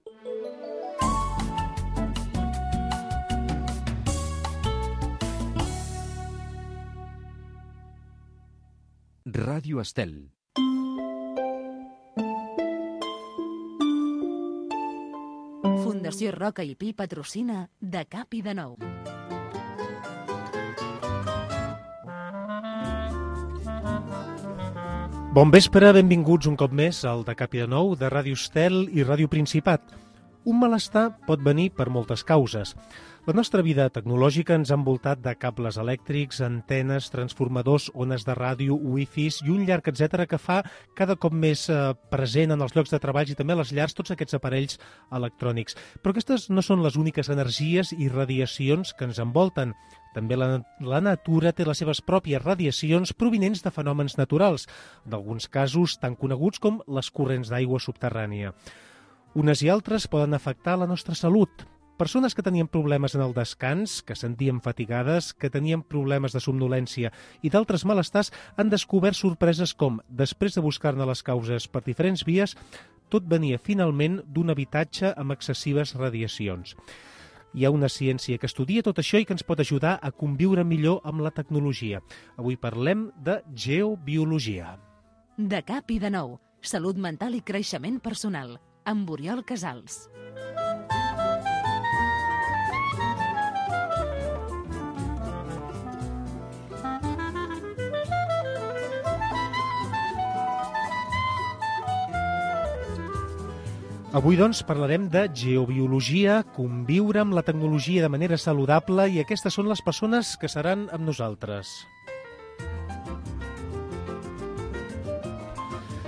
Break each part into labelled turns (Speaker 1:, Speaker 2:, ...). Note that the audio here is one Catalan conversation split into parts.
Speaker 1: Ràdio Estel.
Speaker 2: Fundació Roca i Pi patrocina De Cap i de Nou.
Speaker 3: Bon vespre, benvinguts un cop més al De Cap i de Nou de Ràdio Estel i Ràdio Principat. Un malestar pot venir per moltes causes. La nostra vida tecnològica ens ha envoltat de cables elèctrics, antenes, transformadors, ones de ràdio, wifis i un llarg etcètera que fa cada cop més present en els llocs de treball i també a les llars tots aquests aparells electrònics. Però aquestes no són les úniques energies i radiacions que ens envolten. També la natura té les seves pròpies radiacions provinents de fenòmens naturals, en alguns casos tan coneguts com les corrents d'aigua subterrània. Unes i altres poden afectar la nostra salut. Persones que tenien problemes en el descans, que sentien fatigades, que tenien problemes de somnolència i d'altres malestars han descobert sorpreses com, després de buscar-ne les causes per diferents vies, tot venia finalment d'un habitatge amb excessives radiacions. Hi ha una ciència que estudia tot això i que ens pot ajudar a conviure millor amb la tecnologia. Avui parlem de geobiologia.
Speaker 2: De Cap i de Nou. Salut mental i creixement personal. Amb Oriol Casals.
Speaker 3: Avui, doncs, parlarem de geobiologia, conviure amb la tecnologia de manera saludable i aquestes són les persones que seran amb nosaltres.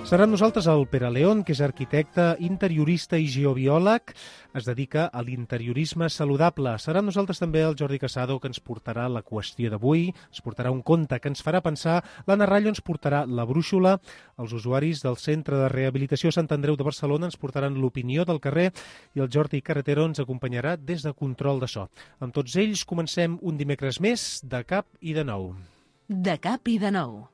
Speaker 3: Serà amb nosaltres el Pere León, que és arquitecte, interiorista i geobiòleg. Es dedica a l'interiorisme saludable. Serà amb nosaltres també el Jordi Casado, que ens portarà la qüestió d'avui, ens portarà un conte que ens farà pensar, l'Anna Rallo ens portarà la brúixola, els usuaris del Centre de Rehabilitació Sant Andreu de Barcelona ens portaran l'opinió del carrer i el Jordi Carretero ens acompanyarà des de control de so. Amb tots ells comencem un dimecres més de Cap i de Nou.
Speaker 2: De Cap i de Nou.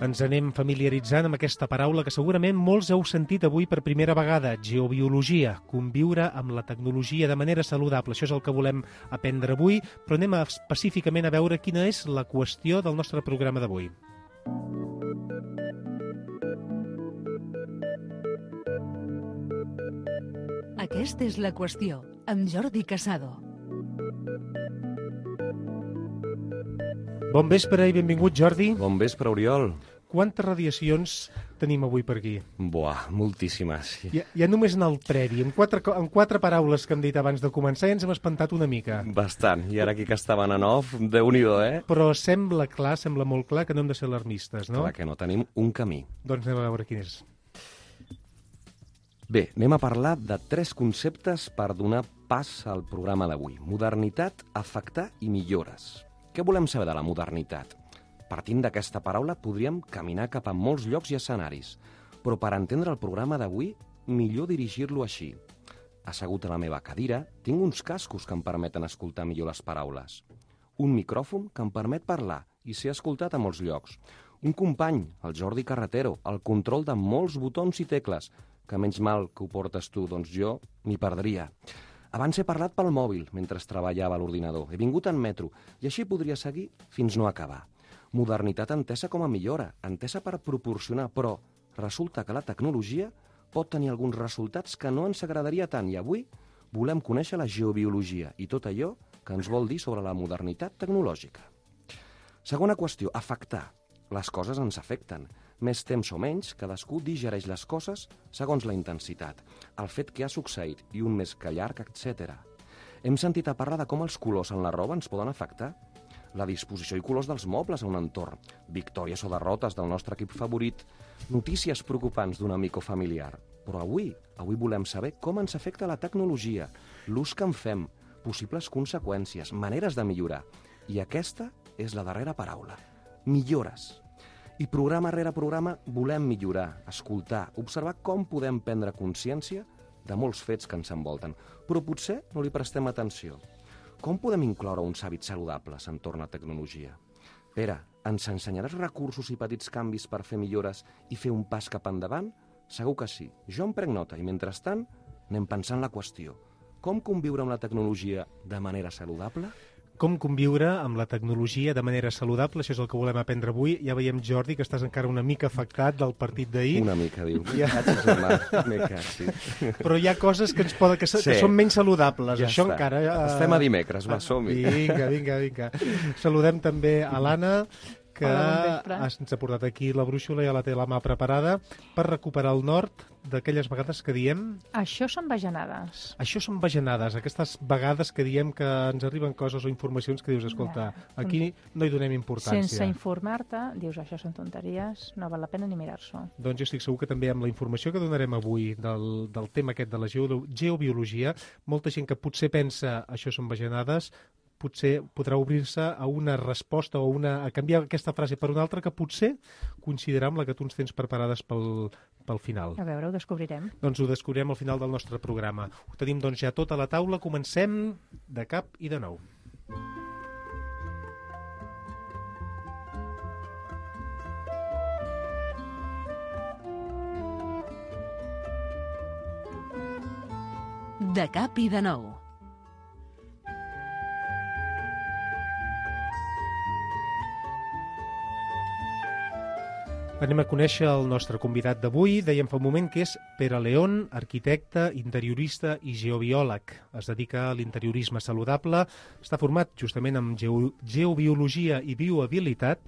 Speaker 3: Ens anem familiaritzant amb aquesta paraula que segurament molts heu sentit avui per primera vegada, geobiologia, conviure amb la tecnologia de manera saludable. Això és el que volem aprendre avui, però anem específicament a veure quina és la qüestió del nostre programa d'avui.
Speaker 2: Aquesta és la qüestió, amb Jordi Casado.
Speaker 3: Bon vespre i benvingut, Jordi.
Speaker 4: Bon vespre, Oriol.
Speaker 3: Quantes radiacions tenim avui per aquí?
Speaker 4: Buah, moltíssimes.
Speaker 3: Ja només en el previ, en quatre paraules que hem dit abans de començar, ja ens hem espantat una mica.
Speaker 4: Bastant. I ara aquí que estaven en off, Déu-n'hi-do,
Speaker 3: Però sembla molt clar que no hem de ser alarmistes, no?
Speaker 4: Clar que no, tenim un camí.
Speaker 3: Doncs anem a veure quin és.
Speaker 4: Bé, anem a parlar de 3 conceptes per donar pas al programa d'avui. Modernitat, afectar i millores. Què volem saber de la modernitat? Partint d'aquesta paraula podríem caminar cap a molts llocs i escenaris, però per entendre el programa d'avui, millor dirigir-lo així. Assegut a la meva cadira, tinc uns cascos que em permeten escoltar millor les paraules. Un micròfon que em permet parlar i ser escoltat a molts llocs. Un company, el Jordi Carretero, el control de molts botons i tecles, que menys mal que ho portes tu, doncs jo m'hi perdria. Abans he parlat pel mòbil mentre treballava a l'ordinador. He vingut en metro i així podria seguir fins no acabar. Modernitat entesa com a millora, entesa per proporcionar, però resulta que la tecnologia pot tenir alguns resultats que no ens agradaria tant i avui volem conèixer la geobiologia i tot allò que ens vol dir sobre la modernitat tecnològica. Segona qüestió, afectar. Les coses ens afecten. Més temps o menys, cadascú digereix les coses segons la intensitat, el fet que ha succeït i un més que llarg, etc. Hem sentit a parlar de com els colors en la roba ens poden afectar, la disposició i colors dels mobles a un entorn, victòries o derrotes del nostre equip favorit, notícies preocupants d'un amic o familiar. Però avui volem saber com ens afecta la tecnologia, l'ús que en fem, possibles conseqüències, maneres de millorar. I aquesta és la darrera paraula, millores. I programa rere programa volem millorar, escoltar, observar com podem prendre consciència de molts fets que ens envolten, però potser no li prestem atenció. Com podem incloure uns hàbits saludables entorn a tecnologia? Pere, ens ensenyaràs recursos i petits canvis per fer millores i fer un pas cap endavant? Segur que sí. Jo em prenc nota i, mentrestant, anem pensant la qüestió. Com conviure amb la tecnologia de manera saludable?
Speaker 3: Com conviure amb la tecnologia de manera saludable, això és el que volem aprendre avui. Ja veiem, Jordi, que estàs encara una mica afectat del partit d'ahir.
Speaker 4: Una mica, diu.
Speaker 3: Però hi ha coses que ens poden, que són menys saludables.
Speaker 4: Ja
Speaker 3: això
Speaker 4: està.
Speaker 3: encara...
Speaker 4: Estem a dimecres, va, som-hi.
Speaker 3: Vinga. Saludem també a l'Anna, que ens ha portat aquí la brúixola i ja la té la mà preparada per recuperar el nord d'aquelles vegades que diem...
Speaker 1: Això són bajanades.
Speaker 3: Això són bajanades, aquestes vegades que diem que ens arriben coses o informacions que dius, escolta, aquí no hi donem importància.
Speaker 1: Sense informar-te, dius, això són tonteries, no val la pena ni mirar-s'ho.
Speaker 3: Doncs jo estic segur que també amb la informació que donarem avui del tema aquest de la geobiologia, molta gent que potser pensa això són bajanades, potser podrà obrir-se a una resposta o a canviar aquesta frase per una altra que potser coincidirà amb la que tu ens tens preparades pel final.
Speaker 1: A veure, ho descobrirem.
Speaker 3: Doncs ho descobrirem al final del nostre programa. Ho tenim doncs ja tot a la taula. Comencem de cap i de nou.
Speaker 2: De cap i de nou.
Speaker 3: Anem a conèixer el nostre convidat d'avui. Dèiem fa un moment que és Pere León, arquitecte, interiorista i geobiòleg. Es dedica a l'interiorisme saludable, està format justament en geobiologia i biohabilitat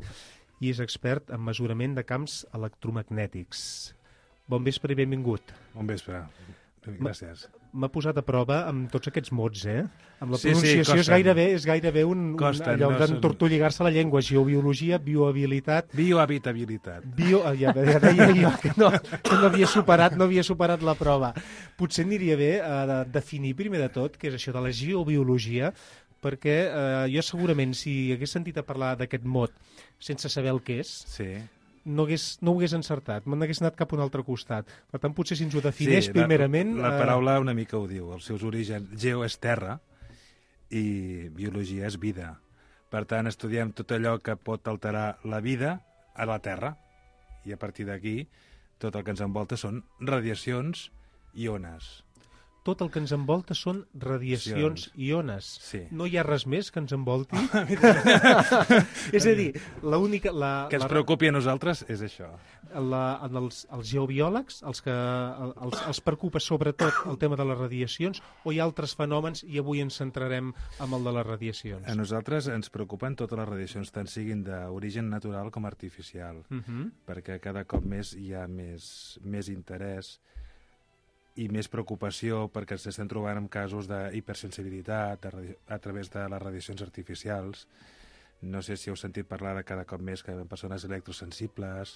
Speaker 3: i és expert en mesurament de camps electromagnètics. Bon vespre i benvingut.
Speaker 5: Bon vespre. Gràcies.
Speaker 3: M'ha posat a prova amb tots aquests mots, Amb la pronunciació és gairebé allò d'entortolligar-se la llengua. Geobiologia, biohabilitat...
Speaker 5: Biohabitabilitat.
Speaker 3: Ja deia jo que no havia superat la prova. Potser aniria bé definir primer de tot què és això de la geobiologia, perquè jo segurament, si hagués sentit a parlar d'aquest mot sense saber el que és...
Speaker 5: Sí.
Speaker 3: No ho hagués encertat, me n'hagués anat cap a un altre costat. Per tant, potser si ens ho defineix primerament...
Speaker 5: La paraula una mica ho diu, els seus orígens. Geo és terra i biologia és vida. Per tant, estudiem tot allò que pot alterar la vida a la Terra. I a partir d'aquí, tot el que ens envolta són radiacions i ones.
Speaker 3: Tot el que ens envolta són radiacions i ones.
Speaker 5: Sí.
Speaker 3: No hi ha res més que ens envolti? És a dir, l'única...
Speaker 5: Que ens preocupi a nosaltres és això.
Speaker 3: Els geobiòlegs, els preocupa sobretot el tema de les radiacions o hi ha altres fenòmens i avui ens centrarem en el de les radiacions?
Speaker 5: A nosaltres ens preocupen totes les radiacions, tant siguin d'origen natural com artificial, perquè cada cop més hi ha més interès i més preocupació perquè ens estem trobant amb casos d'hipersensibilitat a través de les radiacions artificials. No sé si heu sentit parlar de cada cop més que hi ha persones electrosensibles,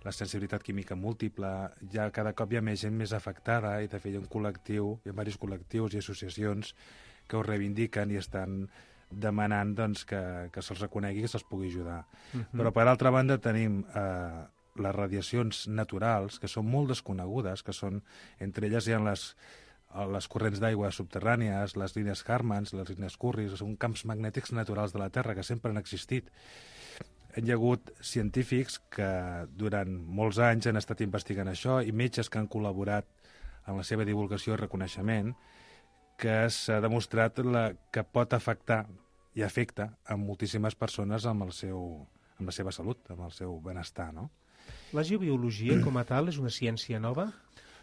Speaker 5: la sensibilitat química múltiple, ja cada cop hi ha més gent més afectada i de fet hi ha un col·lectiu, hi ha diversos col·lectius i associacions que ho reivindiquen i estan demanant doncs, que se'ls reconegui i que se'ls pugui ajudar. Però per altra banda tenim les radiacions naturals, que són molt desconegudes, que són, entre elles hi ha les corrents d'aigua subterrànies, les línies Harmans, les línies Curris, són camps magnètics naturals de la Terra que sempre han existit. Hi ha hagut científics que durant molts anys han estat investigant això i metges que han col·laborat en la seva divulgació i reconeixement, que s'ha demostrat que pot afectar i afecta a moltíssimes persones amb la seva salut, amb el seu benestar, no?
Speaker 3: La geobiologia com a tal és una ciència nova?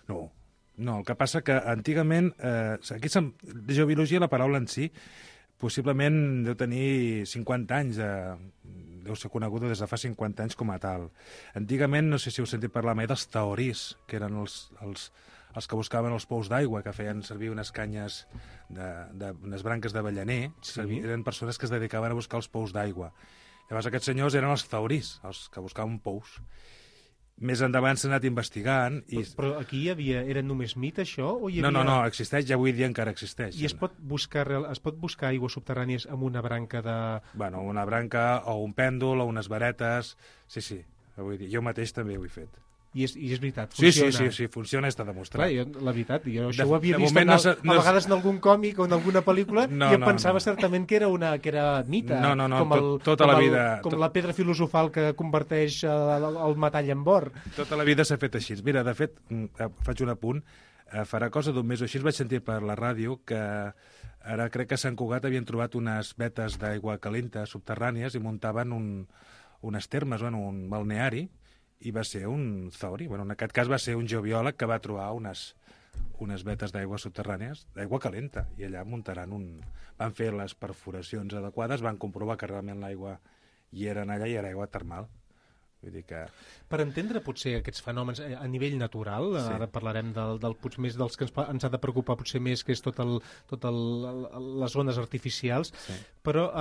Speaker 5: No, el que passa que antigament, aquí geobiologia, la paraula en si, possiblement deu tenir 50 anys, deu ser coneguda des de fa 50 anys com a tal. Antigament, no sé si heu sentit parlar mai dels taorís, que eren els que buscaven els pous d'aigua, que feien servir unes canyes, unes branques d'avellaner, eren persones que es dedicaven a buscar els pous d'aigua. Llavors aquests senyors eren els taurís, els que buscaven pous. Més endavant s'ha anat investigant...
Speaker 3: Però aquí era només mit, això? O hi havia...
Speaker 5: No, existeix, ja avui dia encara existeix.
Speaker 3: I es pot buscar aigües subterrànies amb una branca de...
Speaker 5: Bueno, una branca o un pèndol o unes varetes... Sí, avui dia. Jo mateix també ho he fet.
Speaker 3: I és veritat,
Speaker 5: Sí,
Speaker 3: funciona.
Speaker 5: sí, funciona, està demostrat.
Speaker 3: Clar, la veritat, jo això
Speaker 5: De-
Speaker 3: ho havia
Speaker 5: de
Speaker 3: vist
Speaker 5: moment
Speaker 3: a vegades en algun còmic o en alguna pel·lícula
Speaker 5: No,
Speaker 3: i em
Speaker 5: no,
Speaker 3: pensava
Speaker 5: no.
Speaker 3: certament que era mite.
Speaker 5: No,
Speaker 3: com
Speaker 5: tota la vida...
Speaker 3: Com la pedra filosofal que converteix el metall en or.
Speaker 5: Tota la vida s'ha fet així. Mira, de fet, faig un apunt, farà cosa d'un mes o així vaig sentir per la ràdio que ara crec que a Sant Cugat havien trobat unes vetes d'aigua calenta subterrànies i muntaven unes termes, un balneari, i va ser un Zori. En aquest cas va ser un geobiòleg que va trobar unes vetes d'aigua subterrànies, d'aigua calenta, i allà muntaran van fer les perforacions adequades, van comprovar que realment l'aigua hi era allà i era aigua termal. Vull dir que...
Speaker 3: Per entendre potser aquests fenòmens a nivell natural,
Speaker 5: Sí.
Speaker 3: ara parlarem potser més dels que ens ha de preocupar potser més, que és les zones artificials,
Speaker 5: Sí.
Speaker 3: però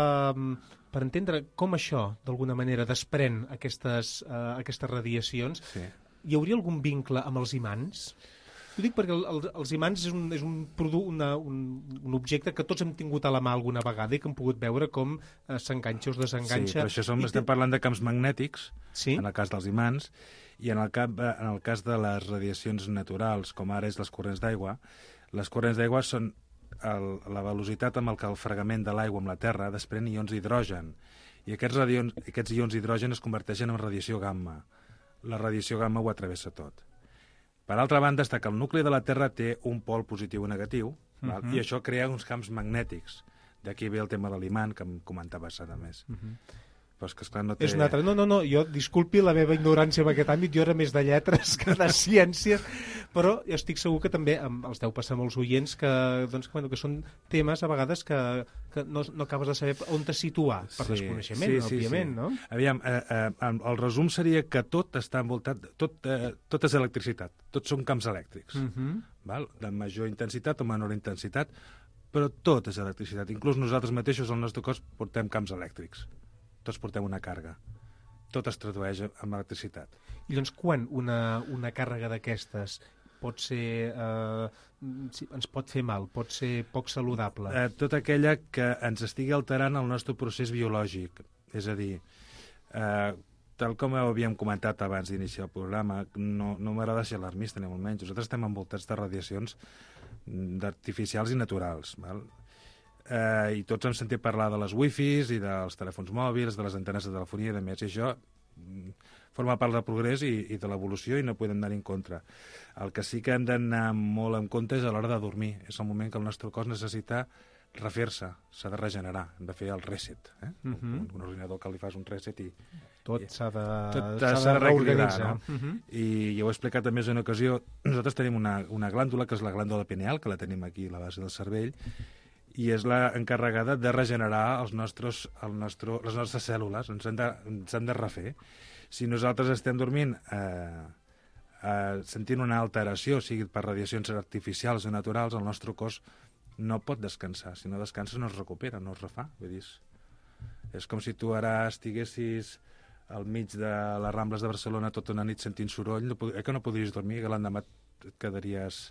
Speaker 3: per entendre com això, d'alguna manera, desprèn aquestes radiacions,
Speaker 5: Sí.
Speaker 3: hi hauria algun vincle amb els imants? Ho dic perquè els imants és un objecte que tots hem tingut a la mà alguna vegada i que hem pogut veure com s'enganxa o es desenganxa.
Speaker 5: Sí, però això estem parlant de camps magnètics,
Speaker 3: Sí?
Speaker 5: en el cas dels imants, i en el cas de les radiacions naturals, com ara és les corrents d'aigua, les corrents d'aigua són la velocitat amb què el fregament de l'aigua amb la Terra desprèn ions d'hidrogen, i aquests ions d'hidrogen es converteixen en radiació gamma. La radiació gamma ho travessa tot. Per altra banda, està que el nucli de la Terra té un pol positiu i negatiu, val? I això crea uns camps magnètics. D'aquí ve el tema de l'imant, que em comentaves ara més. Però és que, esclar, no té...
Speaker 3: És un altre. No, jo disculpi la meva ignorància en aquest àmbit, jo era més de lletres que de ciències, però jo estic segur que també els deu passar molts oients que són temes a vegades que no acabes de saber on te situar per desconeixement, òbviament, no?
Speaker 5: Aviam, el resum seria que tot està envoltat, tot és electricitat, tots són camps elèctrics, val? De major intensitat o menor intensitat, però tot és electricitat. Inclús nosaltres mateixos, al nostre cos, portem camps elèctrics. Tots portem una càrrega. Tot es tradueix en electricitat.
Speaker 3: I doncs quan una càrrega d'aquestes pot ser... ens pot fer mal, pot ser poc saludable?
Speaker 5: Tota aquella que ens estigui alterant el nostre procés biològic. És a dir, tal com havíem comentat abans d'iniciar el programa, no m'agrada ser alarmista, ni molt menys. Nosaltres estem envoltats de radiacions artificials i naturals, val? I tots hem sentit parlar de les wifis i dels telèfons mòbils, de les antenes de telefonia i de més, i això forma part del progrés i de l'evolució i no podem anar-hi en contra. El que sí que hem d'anar molt en compte és a l'hora de dormir. És el moment que el nostre cos necessita refer-se, s'ha de regenerar, hem de fer el reset. Un ordinador que li fas un reset i...
Speaker 3: Tot s'ha
Speaker 5: Tot
Speaker 3: de reorganitzar.
Speaker 5: no? I ja ho he explicat també en una ocasió, nosaltres tenim una glàndula, que és la glàndula pineal, que la tenim aquí a la base del cervell, i és la encarregada de regenerar les nostres cèl·lules, ens han de refer. Si nosaltres estem dormint sentint una alteració, sigui per radiacions artificials o naturals, el nostre cos no pot descansar. Si no descansa no es recupera, no es refà. Vull dir, és com si tu ara estiguessis al mig de les Rambles de Barcelona tota una nit sentint soroll, que no podries dormir, que l'endemà et quedaries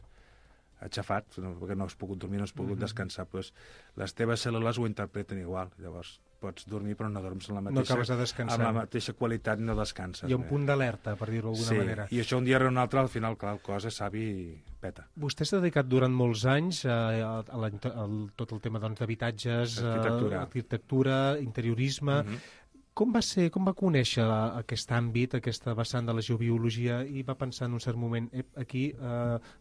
Speaker 5: aixafat, perquè no has pogut dormir, no has pogut descansar, doncs les teves cèl·lules ho interpreten igual. Llavors pots dormir però no dorms amb
Speaker 3: No acabes de descansar.
Speaker 5: la mateixa qualitat, no descanses.
Speaker 3: Hi ha un punt d'alerta, per dir-ho d'alguna manera.
Speaker 5: I això un dia o un altre, al final, clar, el cos és savi i peta.
Speaker 3: Vostè s'ha dedicat durant molts anys a tot el tema d'habitatges, arquitectura, interiorisme. Com va conèixer aquest àmbit, aquesta vessant de la geobiologia i va pensar en un cert moment, aquí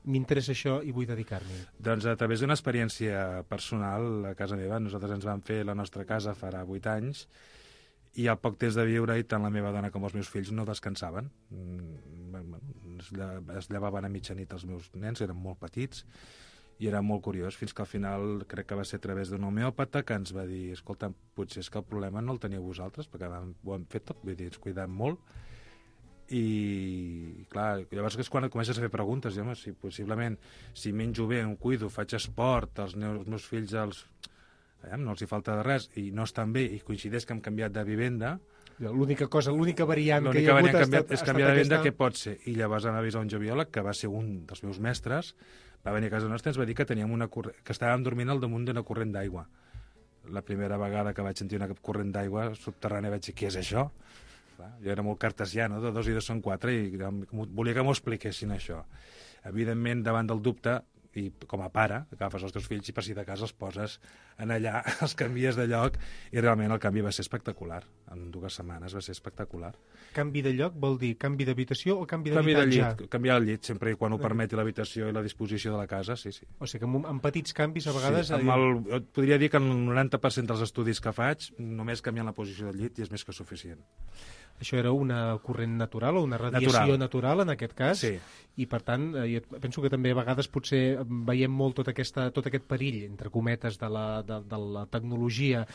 Speaker 3: m'interessa això i vull dedicar-m'hi?
Speaker 5: Doncs a través d'una experiència personal a casa meva, nosaltres ens vam fer la nostra casa farà 8 anys i al poc temps de viure-hi tant la meva dona com els meus fills no descansaven. Es llevaven a mitjanit els meus nens, eren molt petits, i era molt curiós, fins que al final crec que va ser a través d'un homeòpata que ens va dir, escolta, potser és que el problema no el teniu vosaltres, perquè ho hem fet tot, vull dir, ens cuidem molt, i clar, llavors és quan et comences a fer preguntes, i home, si possiblement, si menjo bé, em cuido, faig esport, els meus fills no els hi falta de res, i no estan bé, i coincideix que hem canviat de vivenda,
Speaker 3: l'única variant que hi ha hagut
Speaker 5: és canviar de vivenda, què pot ser? I llavors vam avisar un geobiòleg, que va ser un dels meus mestres, va venir a casa nostra i ens va dir que teníem que estàvem dormint al damunt d'una corrent d'aigua. La primera vegada que vaig sentir una corrent d'aigua subterrània vaig dir, què és això? Clar, jo era molt cartesià, no? De 2 i 2 són 4 i volia que m'ho expliquessin, això. Evidentment, davant del dubte, i com a pare, agafes els teus fills i per si de casa els poses en allà, els canvies de lloc, i realment el canvi va ser espectacular. En 2 setmanes va ser espectacular.
Speaker 3: Canvi de lloc vol dir canvi d'habitació o canvi
Speaker 5: Canvi de
Speaker 3: d'habitatge?
Speaker 5: llit, canviar el llit, sempre i quan ho permeti l'habitació i la disposició de la casa, sí, sí.
Speaker 3: O sigui que amb petits canvis a vegades...
Speaker 5: Sí, et podria dir que en el 90% dels estudis que faig, només canviant la posició del llit i és més que suficient.
Speaker 3: Això era una corrent natural o una radiació natural en aquest cas,
Speaker 5: sí.
Speaker 3: I per tant penso que també a vegades potser veiem molt tot aquest perill, entre cometes, de la tecnologia,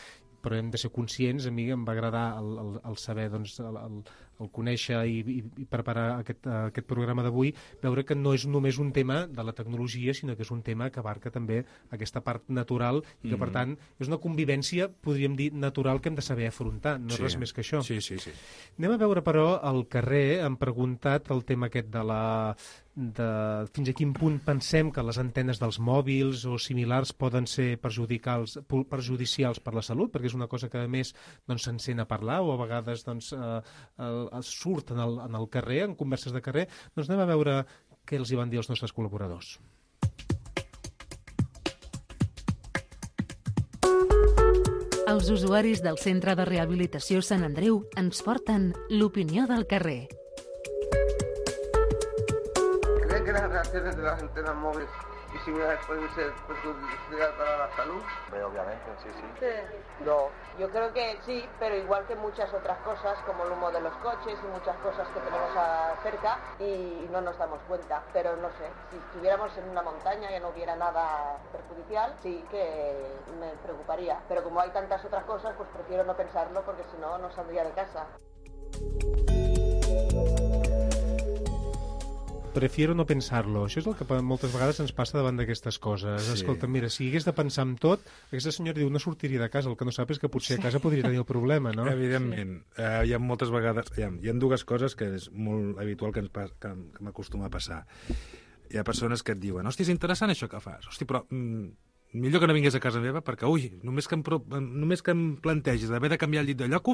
Speaker 3: però hem de ser conscients. A mi em va agradar el saber, doncs, el conèixer i preparar aquest programa d'avui, veure que no és només un tema de la tecnologia, sinó que és un tema que abarca també aquesta part natural i que, per tant, és una convivència, podríem dir, natural que hem de saber afrontar, no és res més que això.
Speaker 5: Sí, sí, sí.
Speaker 3: Anem a veure, però, al carrer, han preguntat el tema aquest fins a quin punt pensem que les antenes dels mòbils o similars poden ser perjudicials per la salut, perquè és una cosa que, a més, doncs, se'n sent a parlar o a vegades doncs, surt en el carrer, en converses de carrer. Doncs anem a veure què els hi van dir els nostres col·laboradors.
Speaker 2: Els usuaris del Centre de Rehabilitació Sant Andreu ens porten l'opinió del carrer.
Speaker 6: ¿Cree que las reacciones de las antenas móviles y similares pueden ser perjudiciales para la salud?
Speaker 7: Obviamente, sí.
Speaker 6: No, yo creo que sí, pero igual que muchas otras cosas, como el humo de los coches y muchas cosas que tenemos cerca y no nos damos cuenta. Pero no sé, si estuviéramos en una montaña y no hubiera nada perjudicial, sí que me preocuparía. Pero como hay tantas otras cosas, pues prefiero no pensarlo porque si no, no saldría de casa.
Speaker 3: Prefiero no pensar-lo. Això és el que moltes vegades ens passa davant d'aquestes coses. Sí. Escolta, mira, si hagués de pensar en tot, aquesta senyora diu, no sortiria de casa. El que no sap és que potser a casa podria tenir el problema, no?
Speaker 5: Evidentment. Hi ha moltes vegades... Hi ha 2 coses que és molt habitual que m'acostuma a passar. Hi ha persones que et diuen, hòstia, és interessant això que fas. Hòstia, però millor que no vingués a casa meva perquè, només que em plantegis d'haver de canviar el llit de lloc,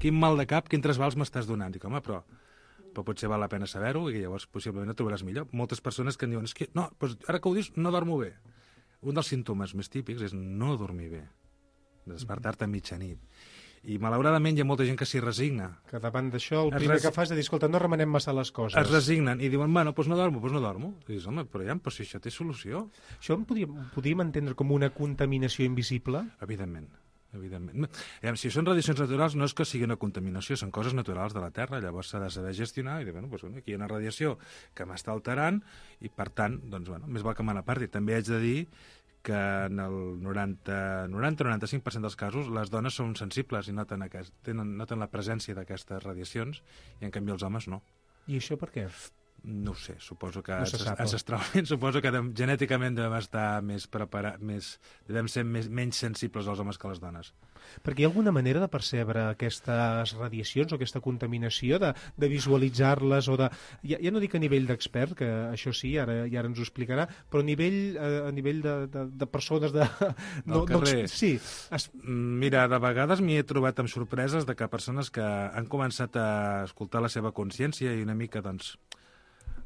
Speaker 5: quin mal de cap, quins trasbals m'estàs donant. Dic, home, però potser val la pena saber-ho i llavors possiblement et trobaràs millor. Moltes persones que em diuen, no, doncs ara que ho dius, no dormo bé. Un dels símptomes més típics és no dormir bé, despertar-te a mitjanit. I malauradament hi ha molta gent que s'hi resigna.
Speaker 3: Que davant d'això el primer que fas és dir, escolta, no remenem massa les coses.
Speaker 5: Es resignen i diuen, bueno, doncs no dormo. I dius, home, però si això té solució.
Speaker 3: Això podríem entendre com una contaminació invisible?
Speaker 5: Evidentment. Si són radiacions naturals no és que sigui una contaminació, són coses naturals de la Terra, llavors s'ha de saber gestionar i dir, aquí hi ha una radiació que m'està alterant i per tant, més val que me n'aparti. També haig de dir que en el 90-95% dels casos les dones són sensibles i noten la presència d'aquestes radiacions i en canvi els homes no.
Speaker 3: I això per què?
Speaker 5: No ho sé, suposo que ancestralment, suposo que genèticament devem estar devem ser menys sensibles als homes que a les dones.
Speaker 3: Perquè hi ha alguna manera de percebre aquestes radiacions o aquesta contaminació, de visualitzar-les o de... Ja no dic a nivell d'expert, que això sí, ara ens ho explicarà, però a nivell de persones de...
Speaker 5: Del carrer.
Speaker 3: Sí.
Speaker 5: Mira, de vegades m'hi he trobat amb sorpreses de que persones que han començat a escoltar la seva consciència i una mica, doncs,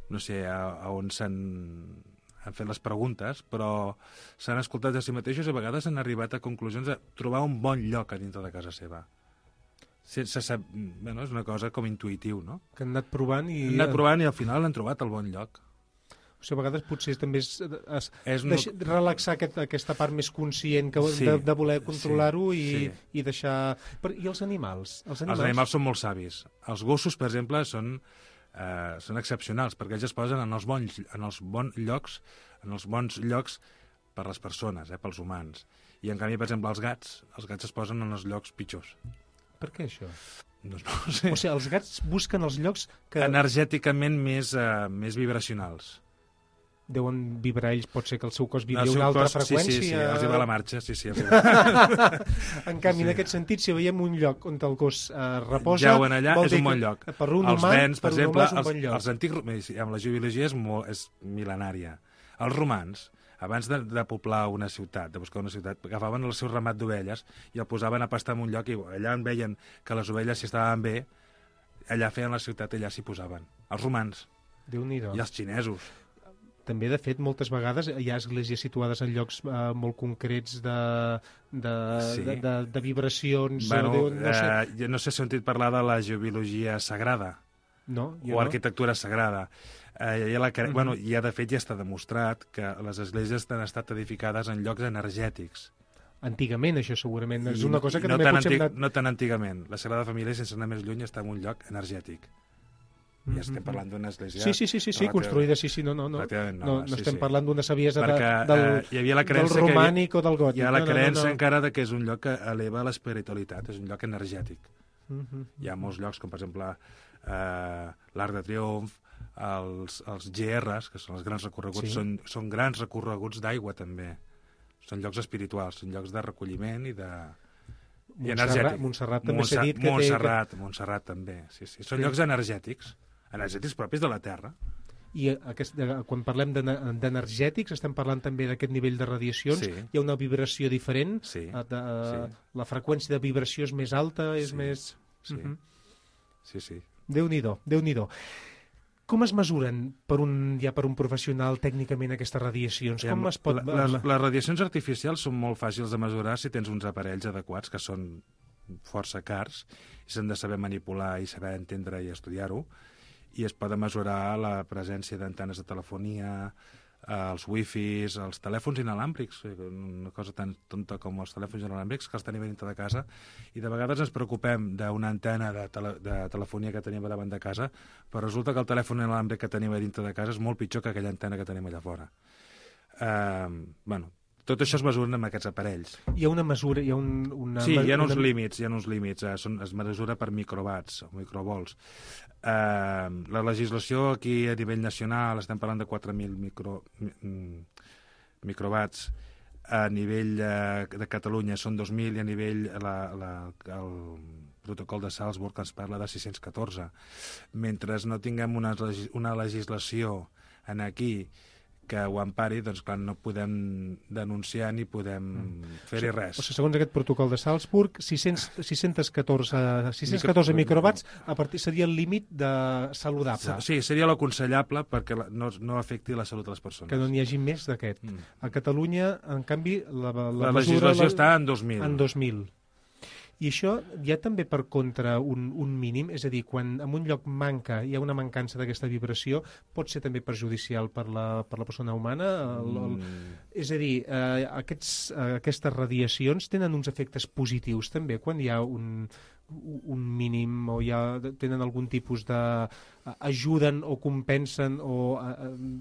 Speaker 5: no sé a on han fet les preguntes, però s'han escoltat a si mateixos i a vegades han arribat a conclusions de trobar un bon lloc a dintre de casa seva. És una cosa com intuïtiu, no?
Speaker 3: Que han anat provant i...
Speaker 5: i al final han trobat el bon lloc.
Speaker 3: O sigui, a vegades potser també és relaxar aquesta part més conscient de voler controlar-ho i deixar... I els animals? Els
Speaker 5: animals són molt savis. Els gossos, per exemple, són excepcionals, perquè ells es posen en els bons llocs per les persones, pels humans. I en canvi, per exemple, els gats es posen en els llocs pitjors.
Speaker 3: Per què això?
Speaker 5: No ho sé.
Speaker 3: O sigui, els gats busquen els llocs que...
Speaker 5: energèticament més vibracionals.
Speaker 3: Deuen vibrar ells, pot ser que el seu cos vibri una altra freqüència.
Speaker 5: Sí, els va la marxa, sí.
Speaker 3: En canvi, en aquest sentit, si veiem un lloc on el gos reposa...
Speaker 5: Jauen allà, és un bon lloc.
Speaker 3: Per un humà,
Speaker 5: per exemple,
Speaker 3: és un bon lloc.
Speaker 5: Els antics... Amb la geologia és mil·lenària. Els romans, abans de poblar una ciutat, de buscar una ciutat, agafaven el seu ramat d'ovelles i el posaven a pastar en un lloc i allà en veien que les ovelles, si estaven bé, allà feien la ciutat i allà s'hi posaven. Els romans
Speaker 3: Déu-n'hi-do.
Speaker 5: i els xinesos.
Speaker 3: També, de fet, moltes vegades hi ha esglésies situades en llocs molt concrets de vibracions...
Speaker 5: Jo no sé si he sentit parlar de la geobiologia sagrada o arquitectura sagrada. De fet, ja està demostrat que les esglésies han estat edificades en llocs energètics.
Speaker 3: Antigament, això segurament. És una cosa que també potser hem anat...
Speaker 5: No tan antigament. La Sagrada Família, sense anar més lluny, està en un lloc energètic. Ja estem parlant d'una església...
Speaker 3: Sí, construïda, no estem parlant d'una saviesa del romànic o del gòtic.
Speaker 5: Hi ha la creença encara que és un lloc que eleva l'espiritualitat, és un lloc energètic. Hi ha molts llocs, com per exemple l'Arc de Triomf, els GRs, que són els grans recorreguts, són grans recorreguts d'aigua també. Són llocs espirituals, són llocs de recolliment i energètic.
Speaker 3: Montserrat també s'ha dit que
Speaker 5: Montserrat també, sí. Són llocs energètics propis de la Terra.
Speaker 3: I quan parlem d'energètics estem parlant també d'aquest nivell de radiacions. Hi ha una vibració diferent? La freqüència de vibració és més alta? És més...
Speaker 5: Sí.
Speaker 3: Déu-n'hi-do. Com es mesuren per un professional tècnicament aquestes radiacions? Com es pot...
Speaker 5: Les radiacions artificials són molt fàcils de mesurar si tens uns aparells adequats, que són força cars, i s'han de saber manipular i saber entendre i estudiar-ho, i es poden mesurar la presència d'antenes de telefonia, els wifis, els telèfons inalàmbrics, una cosa tan tonta com els telèfons inalàmbrics, que els tenim dintre de casa, i de vegades ens preocupem d'una antena de telefonia que tenim davant de casa, però resulta que el telèfon inalàmbric que tenim dintre de casa és molt pitjor que aquella antena que tenim allà fora. Tot això es mesura amb aquests aparells.
Speaker 3: Hi ha una mesura...
Speaker 5: Hi ha uns límits. Es mesura per microwatts o microvolts. La legislació aquí a nivell nacional estem parlant de 4.000 microwatts. A nivell de Catalunya són 2.000 i a nivell el protocol de Salzburg ens parla de 614. Mentre no tinguem una legislació aquí que ho empari, doncs clar, no podem denunciar ni podem fer-hi res.
Speaker 3: O sigui, segons aquest protocol de Salzburg, 614 microwatts a partir seria el límit de saludable.
Speaker 5: Sí, seria l'aconsellable perquè no afecti la salut de les persones.
Speaker 3: Que no n'hi hagi més d'aquest. A Catalunya, en canvi,
Speaker 5: la legislació està en 2.000.
Speaker 3: En 2.000. I això hi ha també per contra un mínim, és a dir, quan en un lloc hi ha una mancança d'aquesta vibració, pot ser també perjudicial per la persona humana? És a dir, aquestes radiacions tenen uns efectes positius també quan hi ha un mínim o tenen algun tipus de... ajuden o compensen o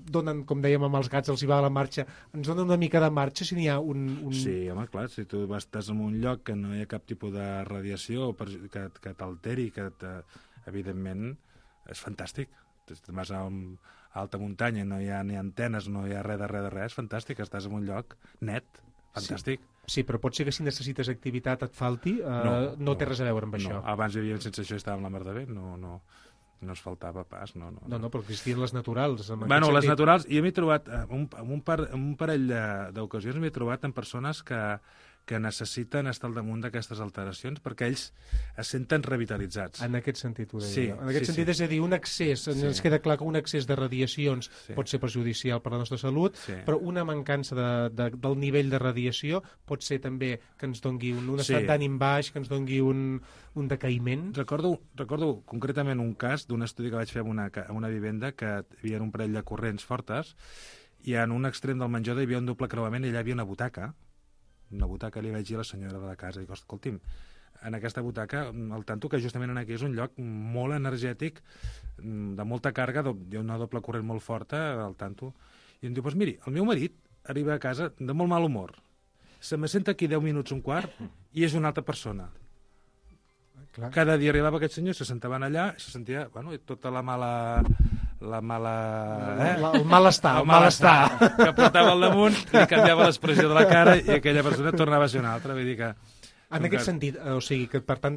Speaker 3: donen, com dèiem amb els gats, els hi va a la marxa, ens donen una mica de marxa si n'hi ha un...
Speaker 5: Sí, home, clar, si tu estàs en un lloc que no hi ha cap tipus de radiació que t'alteri, evidentment és fantàstic. Te'n vas a alta muntanya, no hi ha ni antenes, no hi ha res, és fantàstic, estàs en un lloc net, fantàstic.
Speaker 3: Sí, però pot ser que si necessites activitat et falti, no té res a veure amb això.
Speaker 5: Abans vivíem sense això i estàvem la mar de bé, no es faltava pas. No,
Speaker 3: però existien les naturals.
Speaker 5: Les naturals, i m'he trobat, en un parell d'ocasions m'he trobat en persones que necessiten estar al damunt d'aquestes alteracions perquè ells es senten revitalitzats.
Speaker 3: En aquest sentit ho deia. En aquest sentit, és a dir, un excés, ens queda clar que un excés de radiacions pot ser perjudicial per a la nostra salut, però una mancança del nivell de radiació pot ser també que ens dongui un estat d'ànim baix, que ens dongui un decaïment.
Speaker 5: Recordo concretament un cas d'un estudi que vaig fer en una vivenda que hi havia un parell de corrents fortes i en un extrem del menjador hi havia un doble creuament i allà hi havia una butaca li vaig dir a la senyora de la casa, dic, escolti'm, en aquesta butaca, el tanto que justament aquí és un lloc molt energètic, de molta càrrega, hi ha una doble corrent molt forta, al tanto, i em diu, doncs miri, el meu marit arriba a casa de molt mal humor, se me senta aquí 10 minuts, un quart, i és una altra persona. Clar. Cada dia arribava aquest senyor, se sentaven allà, i se sentia, tota el malestar que portava al damunt, li canviava l'expressió de la cara i aquella persona tornava a ser una altra. Vull dir que...
Speaker 3: En aquest sentit, o sigui, que per tant,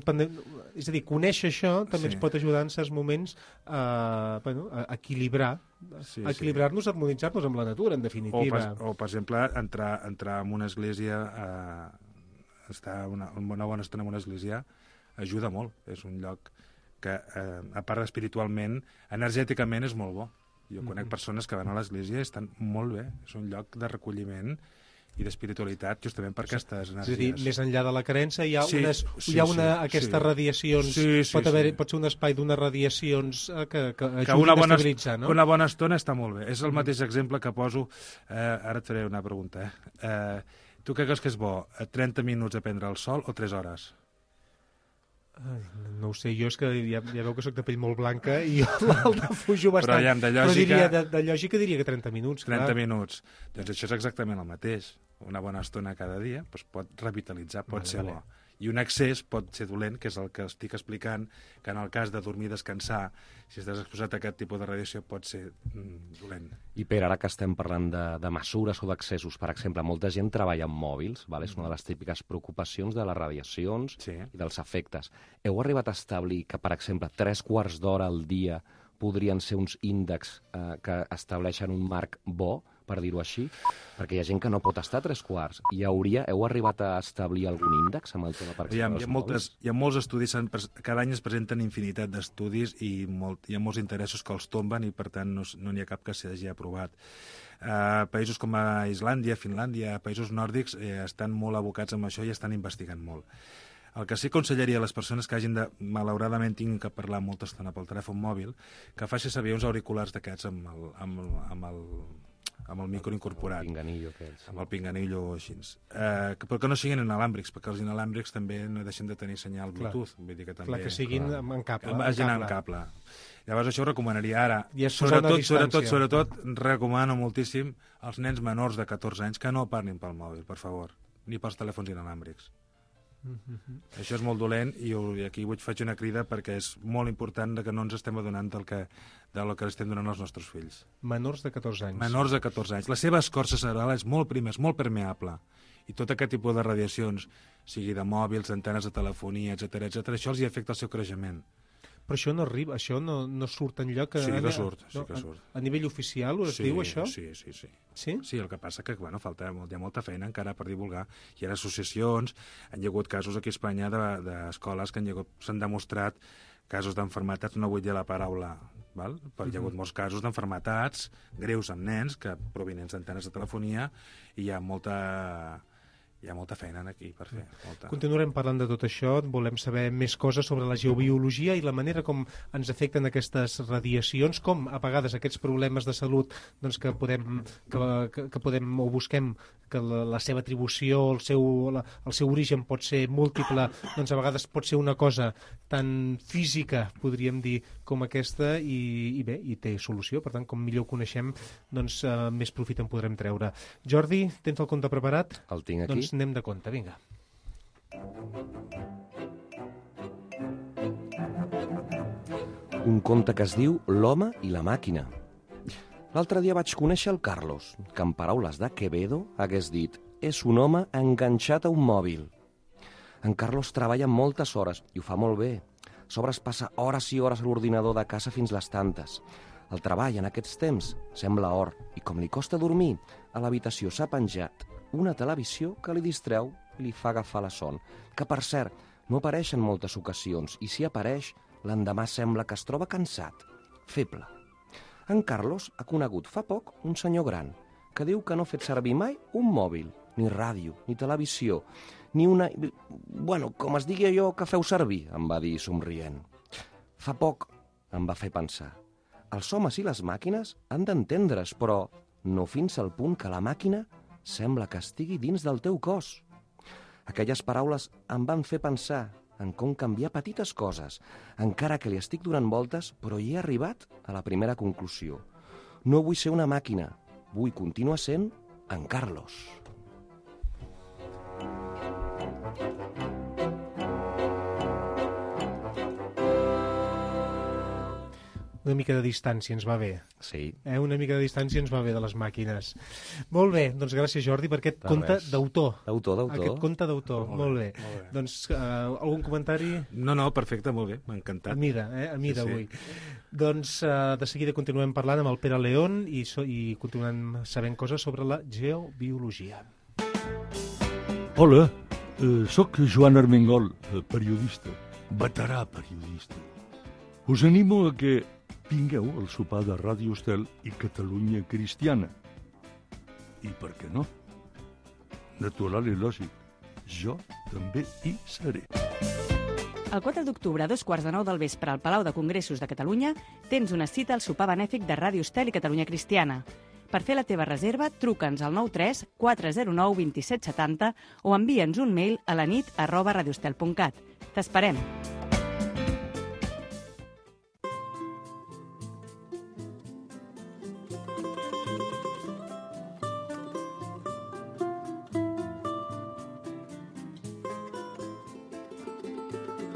Speaker 3: és a dir, conèixer això també ens pot ajudar en certs moments a equilibrar-nos, a harmonitzar-nos amb la natura, en definitiva.
Speaker 5: O per exemple, entrar en una església, estar una bona estona en una església, ajuda molt. És un lloc que, a part espiritualment, energèticament és molt bo. Jo conec persones que van a l'església i estan molt bé. És un lloc de recolliment i d'espiritualitat, justament per aquestes energies.
Speaker 3: És a dir, més enllà de la creença hi ha aquestes radiacions, pot ser un espai d'unes radiacions que ajudin a estabilitzar, no?
Speaker 5: Una bona estona està molt bé. És el mateix exemple que poso, ara et faré una pregunta. Tu què creus que és bo? 30 minuts a prendre el sol o 3 hores?
Speaker 3: No ho sé, jo és que ja veu que soc de pell molt blanca i el defujo bastant.
Speaker 5: Però
Speaker 3: de lògica diria que 30 minuts.
Speaker 5: 30 minuts. Doncs això és exactament el mateix. Una bona estona cada dia pot revitalitzar, pot ser bo. I un excés pot ser dolent, que és el que estic explicant, que en el cas de dormir i descansar, si estàs exposat a aquest tipus de radiació, pot ser dolent.
Speaker 4: I per ara que estem parlant de mesures o d'accessos, per exemple, molta gent treballa amb mòbils, és una de les típiques preocupacions de les radiacions i dels efectes. Heu arribat a establir que, per exemple, 3 quarts d'hora al dia podrien ser uns índexs que estableixen un marc bo, per dir-ho així? Perquè hi ha gent que no pot estar 3 quarts. Heu arribat a establir algun índex amb el tema, per exemple, dels mòbils?
Speaker 5: Hi ha molts estudis, cada any es presenten infinitat d'estudis i hi ha molts interessos que els tomben i, per tant, no n'hi ha cap que s'hagi aprovat. Països com Islàndia, Finlàndia, països nòrdics estan molt abocats amb això i estan investigant molt. El que sí aconsellaria a les persones que malauradament tinguin que parlar molta estona pel telèfon mòbil, que faci servir uns auriculars d'aquests amb el micro incorporat. Amb el pinganillo o així. Però que no siguin inalàmbrics, perquè els inalàmbrics també no deixen de tenir senyal Bluetooth. Vull dir que també,
Speaker 3: que siguin en cable.
Speaker 5: En cable. Llavors això ho recomanaria ara. Sobretot recomano moltíssim als nens menors de 14 anys que no parlin pel mòbil, per favor, ni pels telèfons inalàmbrics. Això és molt dolent i aquí faig una crida perquè és molt important que no ens estem adonant del que estem donant als nostres fills.
Speaker 3: Menors de 14 anys.
Speaker 5: Menors de 14 anys. La seva escorça cerebral és molt prima, és molt permeable. I tot aquest tipus de radiacions, sigui de mòbils, antenes de telefonia, etc., això els hi afecta el seu creixement.
Speaker 3: Però això no arriba, això no surt enlloc...
Speaker 5: Sí que surt.
Speaker 3: A nivell oficial es diu això?
Speaker 5: Sí. Sí, el que passa que hi ha molta feina encara per divulgar. Hi ha associacions, hi ha hagut casos aquí a Espanya d'escoles que s'han demostrat casos d'enfermetats, no vull dir la paraula, però hi ha hagut molts casos d'enfermetats greus amb nens provinents d'antenes de telefonia i hi ha molta feina aquí per fer.
Speaker 3: Continuarem parlant de tot això, volem saber més coses sobre la geobiologia i la manera com ens afecten aquestes radiacions, com a vegades aquests problemes de salut que podem o busquem que la seva atribució, el seu origen pot ser múltiple, a vegades pot ser una cosa tan física, podríem dir, com aquesta, i té solució. Per tant, com millor ho coneixem, més profit en podrem treure. Jordi, tens el conte preparat?
Speaker 4: El tinc aquí.
Speaker 3: Doncs anem de compte, vinga.
Speaker 4: Un conte que es diu L'home i la màquina. L'altre dia vaig conèixer el Carlos, que en paraules de Quevedo hagués dit «és un home enganxat a un mòbil». En Carlos treballa moltes hores i ho fa molt bé. A sobre es passa hores i hores a l'ordinador de casa fins les tantes. El treball en aquests temps sembla or i com li costa dormir, a l'habitació s'ha penjat una televisió que li distreu i li fa agafar la son, que per cert no apareix en moltes ocasions i si apareix l'endemà sembla que es troba cansat, feble. En Carlos ha conegut fa poc un senyor gran que diu que no ha fet servir mai un mòbil, ni ràdio, ni televisió, ni una... Bueno, com es digui allò que feu servir, em va dir somrient. Fa poc em va fer pensar. Els homes i les màquines han d'entendre's, però no fins al punt que la màquina sembla que estigui dins del teu cos. Aquelles paraules em van fer pensar en com canviar petites coses, encara que li estic donant voltes, però hi he arribat a la primera conclusió. No vull ser una màquina, vull continuar sent en Carlos.
Speaker 3: Una mica de distància ens va bé.
Speaker 4: Sí.
Speaker 3: Una mica de distància ens va bé de les màquines. Molt bé, doncs gràcies Jordi per aquest conte d'autor.
Speaker 4: D'autor.
Speaker 3: Aquest conte d'autor, molt bé. Doncs algun comentari?
Speaker 5: No, perfecte, molt bé, m'ha encantat.
Speaker 3: A mida avui. Doncs de seguida continuem parlant amb el Pere León i continuem sabent coses sobre la geobiologia.
Speaker 7: Hola, sóc Joan Armengol, periodista, veterà periodista. Us animo a que vingueu al sopar de Ràdio Estel i Catalunya Cristiana. I per què no? Natural i lògic. Jo també hi seré.
Speaker 8: El 4 d'octubre, a 2:15 del vespre, al Palau de Congressos de Catalunya, tens una cita al sopar benèfic de Ràdio Estel i Catalunya Cristiana. Per fer la teva reserva, truca'ns al 93 409 2770 o envia'ns un mail a lanit@radioestel.cat. T'esperem!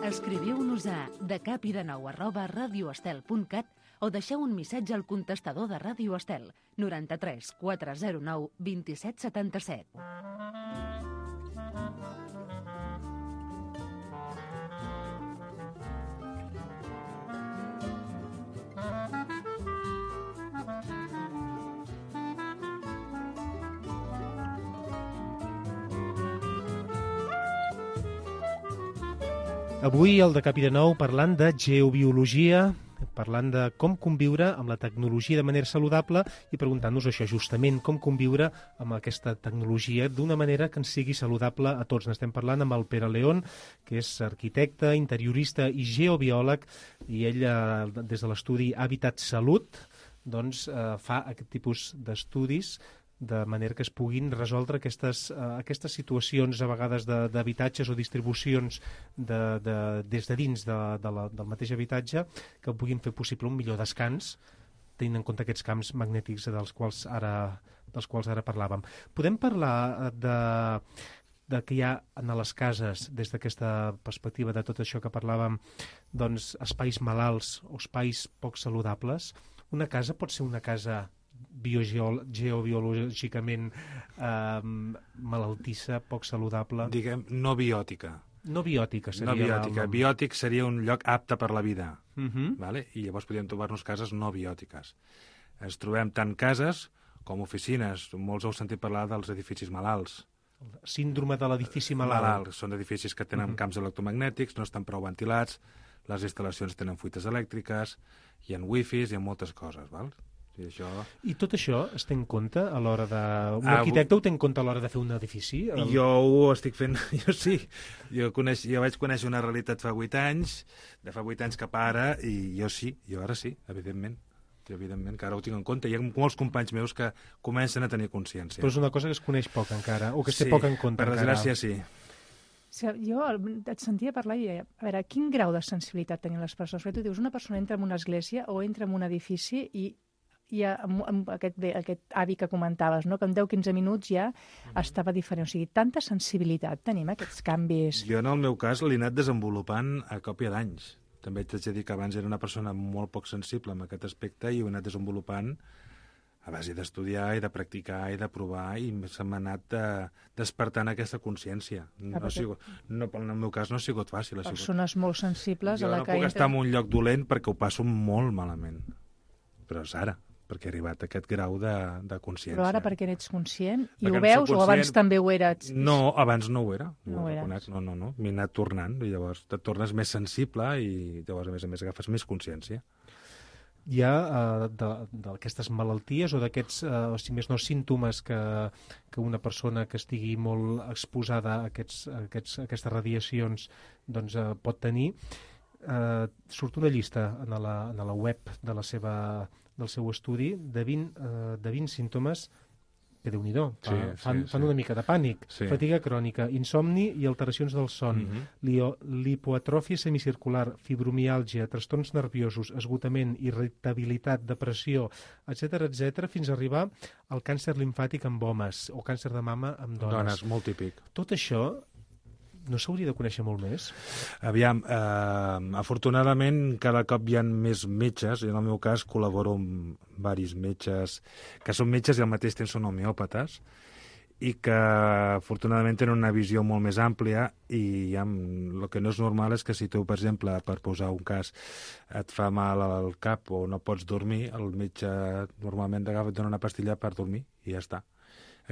Speaker 2: Escriviu-nos a decapidenou@radioestel.cat o deixeu un missatge al contestador de Ràdio Estel 93 409 2777.
Speaker 3: Avui al Decapi de Nou parlant de geobiologia, parlant de com conviure amb la tecnologia de manera saludable i preguntant-nos això justament, com conviure amb aquesta tecnologia d'una manera que ens sigui saludable a tots. N'estem parlant amb el Pere León, que és arquitecte, interiorista i geobiòleg, i ell, des de l'estudi Hàbitat Salut, doncs, fa aquest tipus d'estudis de manera que es puguin resoldre aquestes situacions a vegades d'habitatges o distribucions des de dins del mateix habitatge que puguin fer possible un millor descans tenint en compte aquests camps magnètics dels quals ara parlàvem. Podem parlar de que hi ha a les cases, des d'aquesta perspectiva de tot això que parlàvem, doncs espais malalts o espais poc saludables? Una casa pot ser una casa geobiològicament malaltissa, poc saludable?
Speaker 5: Diguem, no biòtica.
Speaker 3: No biòtica seria...
Speaker 5: No biòtica. Biòtic seria un lloc apte per la vida. Vale? I llavors podríem trobar-nos cases no biòtiques. Ens trobem tant cases com oficines. Molts heu sentit parlar dels edificis malalts.
Speaker 3: Síndrome de l'edifici malalt.
Speaker 5: Són edificis que tenen camps electromagnètics, no estan prou ventilats, les instal·lacions tenen fuites elèctriques, hi ha wifis, hi ha moltes coses, val? I
Speaker 3: tot això es té en compte a l'hora de... Un arquitecte ho té en compte a l'hora de fer un edifici?
Speaker 5: Jo ho estic fent, jo sí. Jo vaig conèixer una realitat fa 8 anys, de fa 8 anys cap ara, i jo ara sí, evidentment. Evidentment, que ara ho tinc en compte. Hi ha molts companys meus que comencen a tenir consciència.
Speaker 3: Però és una cosa que es coneix poc encara, o que es té poc en compte
Speaker 5: encara. Per desgràcia, sí.
Speaker 1: Jo et sentia parlar i deia, a veure, quin grau de sensibilitat tenen les persones? Perquè tu dius, una persona entra en una església o entra en un edifici i ja amb aquest avi que comentaves, no? Que en 10-15 minuts ja estava diferent. O sigui, tanta sensibilitat tenim, aquests canvis.
Speaker 5: Jo, en el meu cas, l'he anat desenvolupant a còpia d'anys. També t'haig de dir que abans era una persona molt poc sensible en aquest aspecte i ho he anat desenvolupant a base d'estudiar i de practicar i de provar i se m'ha anat despertant aquesta consciència. En el meu cas no ha sigut fàcil.
Speaker 1: Persones molt sensibles a la que...
Speaker 5: Jo no puc estar en un lloc dolent perquè ho passo molt malament. Però és ara, perquè he arribat a aquest grau de consciència.
Speaker 1: Però ara perquè n'ets conscient? I ho veus o abans també ho eres?
Speaker 5: No, abans no ho era.
Speaker 1: No ho eres.
Speaker 5: No. M'he anat tornant i llavors et tornes més sensible i llavors, a més agafes més consciència.
Speaker 3: Hi ha d'aquestes malalties o d'aquests, si més no, símptomes que una persona que estigui molt exposada a aquestes radiacions doncs, pot tenir. Surt una llista en la web del seu estudi de 20 símptomes que Déu-n'hi-do, fan una mica de pànic. Fatiga crònica, insomni i alteracions del son, lipoatròfia semicircular, fibromiàlgia, trastorns nerviosos, esgotament, irritabilitat, depressió, etc., fins a arribar al càncer limfàtic amb homes o càncer de mama amb dones.
Speaker 5: Dones, molt típic.
Speaker 3: Tot això no s'hauria de conèixer molt més?
Speaker 5: Aviam, afortunadament cada cop hi ha més metges, i en el meu cas col·laboro amb diversos metges que són metges i al mateix temps són homeòpates i que afortunadament tenen una visió molt més àmplia i el que no és normal és que si tu, per exemple, per posar un cas, et fa mal al cap o no pots dormir, el metge normalment et dona una pastilla per dormir i ja està.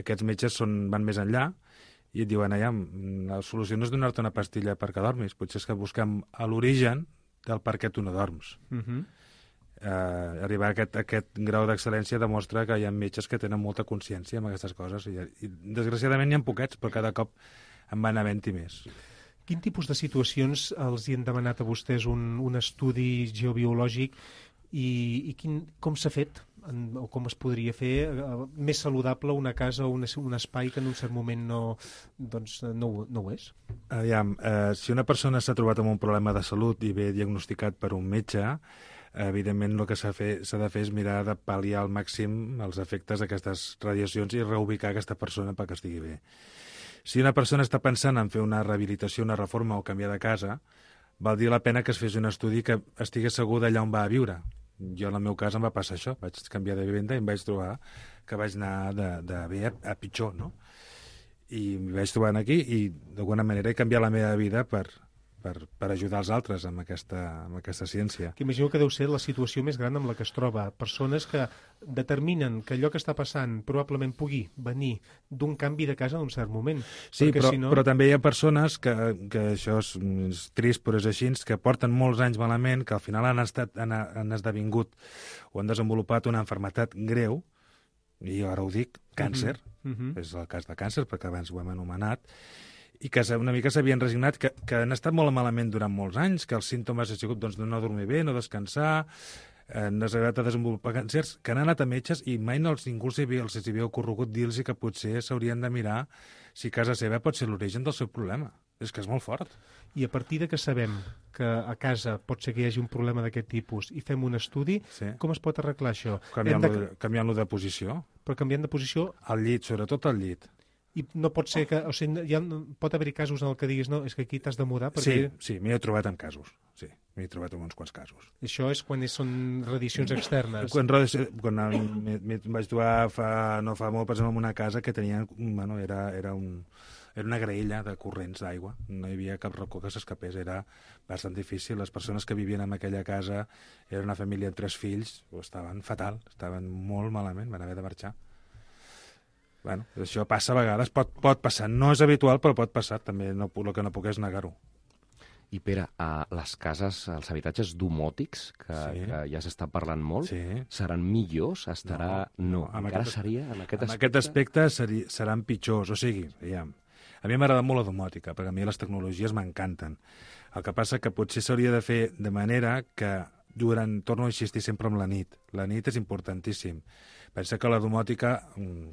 Speaker 5: Aquests metges van més enllà i et diuen, la solució no és donar-te una pastilla perquè dormis, potser és que busquem a l'origen del per què tu no dorms. Arribar a aquest grau d'excel·lència demostra que hi ha metges que tenen molta consciència amb aquestes coses i desgraciadament n'hi ha poquets, però cada cop en van havent-hi més.
Speaker 3: Quin tipus de situacions els hi han demanat a vostès un estudi geobiològic i com s'ha fet o com es podria fer més saludable una casa o un espai que en un cert moment no ho és?
Speaker 5: Si una persona s'ha trobat amb un problema de salut i ve diagnosticat per un metge, evidentment el que s'ha de fer és mirar de pal·liar al màxim els efectes d'aquestes radiacions i reubicar aquesta persona perquè estigui bé. Si una persona està pensant en fer una rehabilitació, una reforma o canviar de casa, valdria la pena que es fes un estudi que estigués segur d'allà on va a viure. Jo, en el meu cas, em va passar això. Vaig canviar de vivenda i em vaig trobar que vaig anar de bé a pitjor, no? I m'hi vaig trobar aquí i, d'alguna manera, he canviat la meva vida per ajudar els altres amb aquesta ciència.
Speaker 3: Que imagino que deu ser la situació més gran amb la que es troba. Persones que determinen que allò que està passant probablement pugui venir d'un canvi de casa en un cert moment.
Speaker 5: Sí, però també hi ha persones que això és trist, però és així, que porten molts anys malament, que al final han esdevingut o han desenvolupat una malaltia greu, i ara ho dic, càncer, és el cas de càncer, perquè abans ho hem anomenat, i que una mica s'havien resignat, que han estat molt malament durant molts anys, que els símptomes han sigut de no dormir bé, no descansar, han arribat a desenvolupar càncers, que han anat a metges i mai ningú els havia ocorregut dir-los que potser s'haurien de mirar si casa seva pot ser l'origen del seu problema. És que és molt fort.
Speaker 3: I a partir de que sabem que a casa pot ser que hi hagi un problema d'aquest tipus i fem un estudi, com es pot arreglar això?
Speaker 5: Canviant-lo de posició.
Speaker 3: Però canviant de posició...
Speaker 5: Al llit, sobretot al llit.
Speaker 3: I no pot ser que... O sigui, pot haver-hi casos en el que diguis no, és que aquí t'has de mudar perquè...
Speaker 5: Sí, m'hi he trobat en casos. Sí, m'hi he trobat en uns quants casos.
Speaker 3: Això és quan són radiacions externes.
Speaker 5: Quan vaig trobar no fa molt, per exemple, en una casa que tenia... Bueno, era una graella de corrents d'aigua. No hi havia cap racó que s'escapés. Era bastant difícil. Les persones que vivien en aquella casa era una família amb 3 fills. Estaven fatal, estaven molt malament, van haver de marxar. Bueno, això passa a vegades, pot passar. No és habitual, però pot passar. També el que no puc és negar-ho.
Speaker 4: I Pere, les cases, els habitatges domòtics, que ja s'està parlant molt, seran millors? No. Encara seria en aquest aspecte?
Speaker 5: En aquest aspecte seran pitjors. O sigui, a mi m'agrada molt la domòtica, perquè a mi les tecnologies m'encanten. El que passa que potser s'hauria de fer de manera que torno a insistir sempre en la nit. La nit és importantíssim. Pensa que la domòtica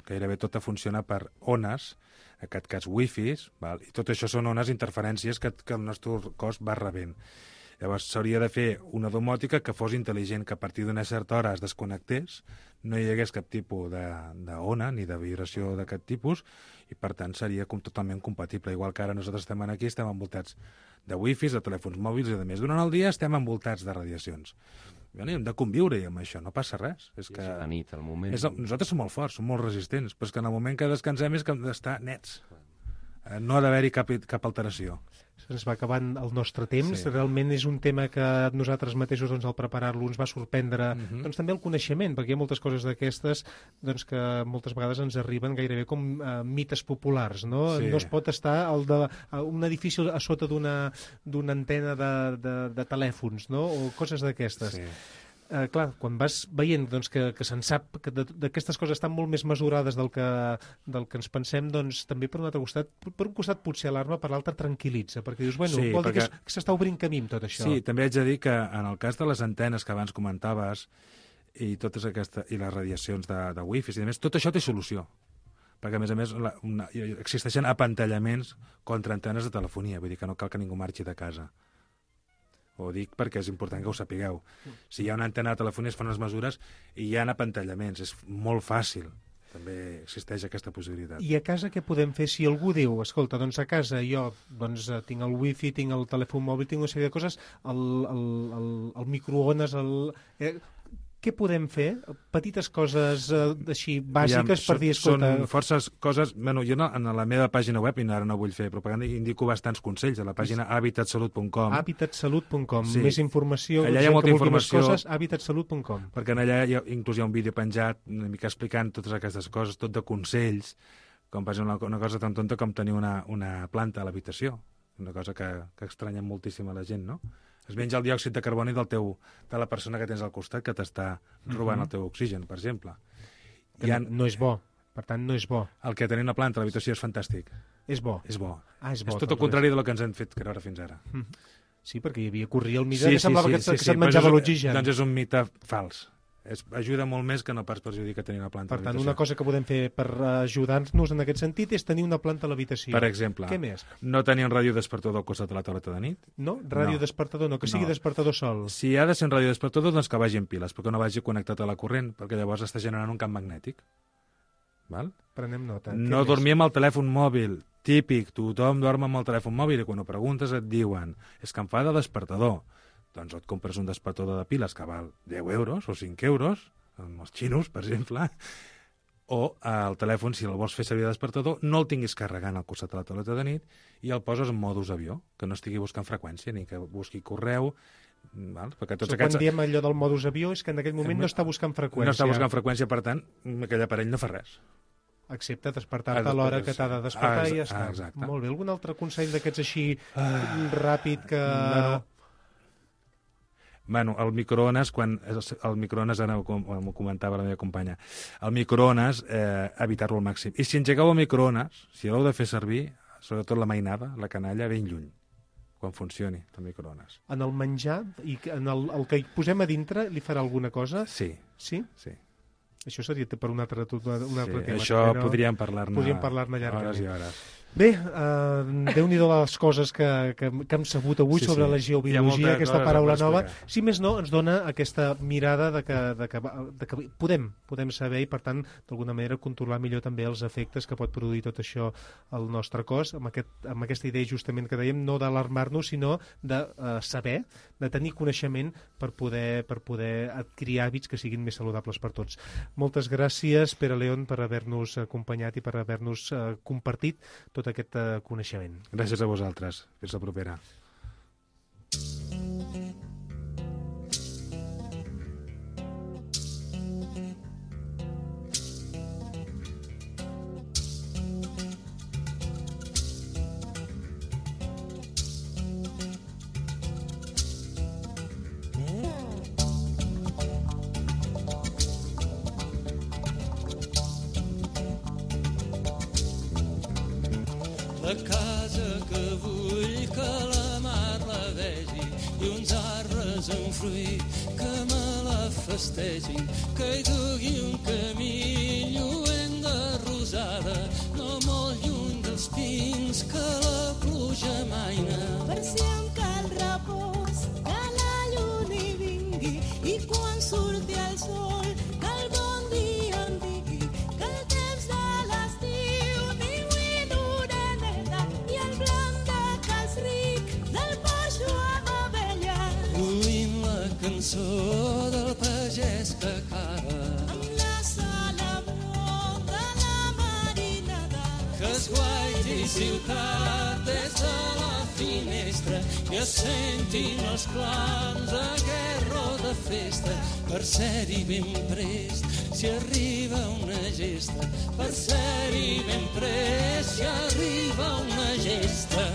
Speaker 5: gairebé tota funciona per ones, en aquest cas wifis, i tot això són ones, interferències que el nostre cos va rebent. Llavors s'hauria de fer una domòtica que fos intel·ligent, que a partir d'una certa hora es desconnectés, no hi hagués cap tipus d'ona ni de vibració d'aquest tipus, i per tant seria totalment compatible. Igual que ara nosaltres estem aquí, estem envoltats de wifis, de telèfons mòbils, i a més durant el dia estem envoltats de radiacions. Hem de conviure-hi amb això, no passa res. És que
Speaker 4: la nit, el moment...
Speaker 5: Nosaltres som molt forts, som molt resistents, però és que en el moment que descansem és que hem d'estar nets. No ha d'haver-hi cap alteració.
Speaker 3: Se'ns va acabant el nostre temps. Realment és un tema que nosaltres mateixos, al preparar-lo, ens va sorprendre també el coneixement, perquè hi ha moltes coses d'aquestes que moltes vegades ens arriben gairebé com mites populars, no? No es pot estar un edifici a sota d'una antena de telèfons, no? O coses d'aquestes. Clar, quan vas veient que se'n sap que d'aquestes coses estan molt més mesurades del que ens pensem, també per un altre costat, per un costat potser alarma, per l'altre tranquil·litza, perquè dius, vol dir que s'està obrint camí amb tot això.
Speaker 5: Sí, també haig de dir que en el cas de les antenes que abans comentaves i les radiacions de wifi i més, tot això té solució, perquè a més existeixen apantallaments contra antenes de telefonia, vull dir que no cal que ningú marxi de casa. Ho dic perquè és important que ho sapigueu. Si hi ha una antena de telefonia es fan les mesures i hi ha apantallaments. És molt fàcil. També existeix aquesta possibilitat.
Speaker 3: I a casa què podem fer si algú diu, escolta, a casa jo tinc el wifi, tinc el telèfon mòbil, tinc una sèrie de coses, el microones, què podem fer? Petites coses així bàsiques per dir, escolta...
Speaker 5: Són forces coses... Jo en la meva pàgina web, i ara no vull fer propaganda, indico bastants consells a la pàgina habitatsalut.com.
Speaker 3: Habitatsalut.com. Més informació...
Speaker 5: Allà hi ha molta informació.
Speaker 3: Habitatsalut.com.
Speaker 5: Perquè allà inclús hi ha un vídeo penjat una mica explicant totes aquestes coses, tot de consells, com per exemple una cosa tan tonta com tenir una planta a l'habitació. Una cosa que estranya moltíssim a la gent, no? Es menja el diòxid de carboni de la persona que tens al costat que t'està robant el teu oxigen, per exemple.
Speaker 3: No és bo. Per tant, no és bo.
Speaker 5: El que tenir una planta a l'habitació és fantàstic.
Speaker 3: És bo.
Speaker 5: És bo.
Speaker 3: És bo.
Speaker 5: És tot el contrari del que ens han fet creure fins ara.
Speaker 3: Sí, perquè hi havia corria el mite que semblava que se't menjava l'oxigen.
Speaker 5: Doncs és un mite fals. Ajuda molt més que no pas perjudica tenir una planta a l'habitació.
Speaker 3: Per tant, una cosa que podem fer per ajudar-nos en aquest sentit és tenir una planta a l'habitació.
Speaker 5: Per exemple,
Speaker 3: què més?
Speaker 5: No tenir un ràdio despertador al costat de la tauleta de nit.
Speaker 3: No? Ràdio despertador no, que sigui despertador sol.
Speaker 5: Si ha de ser un ràdio despertador, doncs que vagi en piles, però que no vagi connectat a la corrent, perquè llavors està generant un camp magnètic. Val?
Speaker 3: Prenem nota.
Speaker 5: No dormir amb el telèfon mòbil. Típic, tothom dorm amb el telèfon mòbil i quan ho preguntes et diuen és que em fa de despertador. Doncs et compres un despertador de piles que val 10 euros o 5 euros, amb els xinos, per exemple, o el telèfon, si el vols fer servir de despertador, no el tinguis carregant al costat de la tauleta de nit i el poses en modus avió, que no estigui buscant freqüència ni que busqui correu. Val? Perquè tots
Speaker 3: Quan diem allò del modus avió és que en aquell moment no està buscant freqüència.
Speaker 5: No està buscant freqüència, per tant, aquell aparell no fa res.
Speaker 3: Excepte despertar-te a l'hora que t'ha de despertar i ja està.
Speaker 5: Exacte.
Speaker 3: Molt bé. Algun altre consell d'aquests així ràpid que...
Speaker 5: Bueno, el microones, ara m'ho comentava la meva companya, el microones, evitar-lo al màxim. I si engegueu el microones, si l'heu de fer servir, sobretot la mainada, la canalla, ben lluny, quan funcioni el microones.
Speaker 3: En el menjar, i en el que hi posem a dintre, li farà alguna cosa?
Speaker 5: Sí.
Speaker 3: Sí?
Speaker 5: Sí.
Speaker 3: Això seria per un altre tema.
Speaker 5: Això podríem parlar-ne
Speaker 3: llargament.
Speaker 5: Hores i hores.
Speaker 3: Bé, Déu-n'hi-do les coses que hem sabut avui sobre la geobiologia, aquesta paraula nova. Si més no, ens dona aquesta mirada de que podem saber i, per tant, d'alguna manera controlar millor també els efectes que pot produir tot això al nostre cos, amb aquesta idea justament que dèiem, no d'alarmar-nos, sinó de saber, de tenir coneixement per poder adquirir hàbits que siguin més saludables per tots. Moltes gràcies, Pere León, per haver-nos acompanyat i per haver-nos compartit tot aquest coneixement.
Speaker 5: Gràcies a vosaltres. Fins la propera.
Speaker 9: La casa que vull que la mar la vegi i uns arbres en fruit que me la festegin, que hi dugui un camí lluent de rosada, no molt lluny dels pins que la pluja maina.
Speaker 10: Per si em cal repòs, que la lluna hi vingui i quan surti el sol, que el bon dia em digui que el temps de l'estiu ningú d'oreneta i el blanc de cas ric del poixo amb abella.
Speaker 9: Oïm la cançó del pagès que cava
Speaker 10: amb la salamó de la marinada,
Speaker 9: que es guaiti ciutat des de la finestra i es sentin els clams a guerra de festa, per ser-hi ben prest si arriba una gesta, per ser-hi ben prest si arriba una gesta.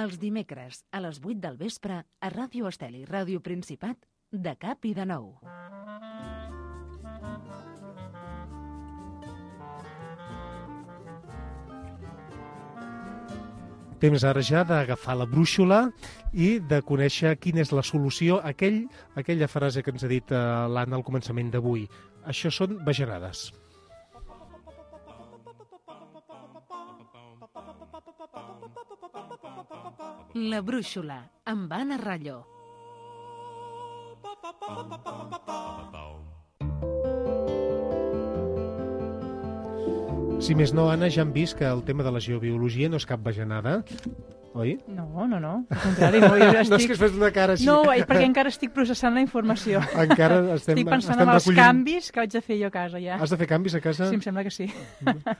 Speaker 2: Els dimecres a les 8 del vespre a Ràdio Estel i Ràdio Principat, de cap i de nou.
Speaker 3: Temps ara ja d'agafar la brúixola i de conèixer quina és la solució a aquella frase que ens ha dit l'Anna al començament d'avui. Això són bajanades.
Speaker 2: La brúixola, amb Anna Rallo.
Speaker 3: Si més no, Anna, ja hem vist que el tema de la geobiologia no és cap bajanada, oi?
Speaker 1: No. Al contrari, no, jo estic...
Speaker 3: No és que es fes una cara així.
Speaker 1: No, perquè encara estic processant la informació.
Speaker 3: Encara estem
Speaker 1: pensant en els canvis que haig de fer jo a casa, ja.
Speaker 3: Has de fer canvis a casa?
Speaker 1: Sí, em sembla que sí.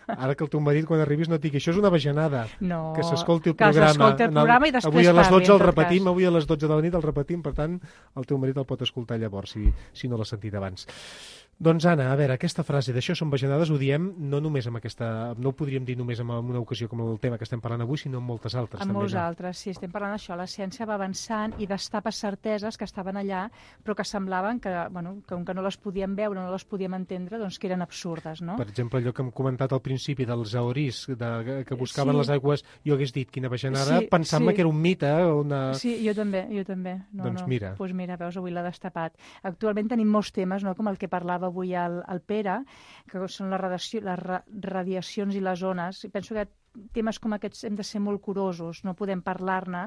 Speaker 3: Ara que el teu marit, quan arribis, no et digui això és una bajanada.
Speaker 1: No,
Speaker 3: que s'escolti el programa.
Speaker 1: Que s'escolti el programa i després
Speaker 3: avui a les 12
Speaker 1: el
Speaker 3: repetim, avui a les 12 de la nit el repetim, per tant, el teu marit el pot escoltar llavors, si no l'ha sentit abans. Doncs, Anna, a veure, aquesta frase d'això són bajanades ho diem no només amb aquesta... No ho podríem dir només en una ocasió com el tema que estem parlant avui, sinó en moltes altres.
Speaker 1: En
Speaker 3: també,
Speaker 1: molts
Speaker 3: no?
Speaker 1: altres, sí. Estem parlant d'això. La ciència va avançant i destapa certeses que estaven allà, però que semblaven que, bueno, que com que no les podíem veure, no les podíem entendre, doncs que eren absurdes, no?
Speaker 3: Per exemple, allò que hem comentat al principi dels aorís, que buscaven
Speaker 1: Sí.
Speaker 3: les aigües, jo hagués dit quina bajanada, pensant-me que era un mite,
Speaker 1: Sí, jo també.
Speaker 3: Doncs mira.
Speaker 1: Doncs mira, veus, avui l'ha destapat. Actualment tenim molts temes, no?, com el que parlava avui el Pere, que són les radiacions i les ones. I penso que temes com aquests hem de ser molt curosos, no podem parlar-ne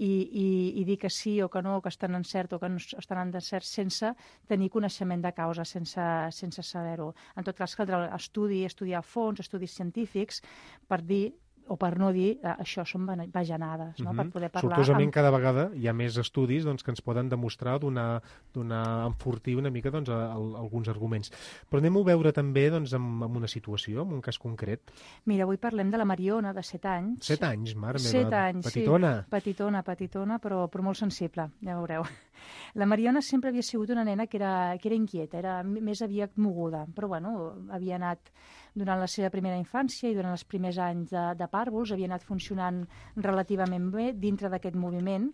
Speaker 1: i dir que sí o que no, que estan en cert o que no estan en cert sense tenir coneixement de causa, sense saber-ho. En tot cas, caldrà estudiar a fons, estudis científics, per dir o per no dir, això són bajanades, no? Per poder parlar...
Speaker 3: Sortosament cada vegada hi ha més estudis doncs, que ens poden demostrar, enfortir una mica doncs, alguns arguments. Però anem a veure també doncs, en una situació, en un cas concret.
Speaker 1: Mira, avui parlem de la Mariona, de 7 anys.
Speaker 3: 7 anys, mare meva.
Speaker 1: 7 anys,
Speaker 3: petitona.
Speaker 1: Sí. Petitona, però molt sensible, ja veureu. La Mariona sempre havia sigut una nena que era inquieta, era més aviat moguda, però bueno, havia anat durant la seva primera infància i durant els primers anys de pàrvuls, havia anat funcionant relativament bé dintre d'aquest moviment.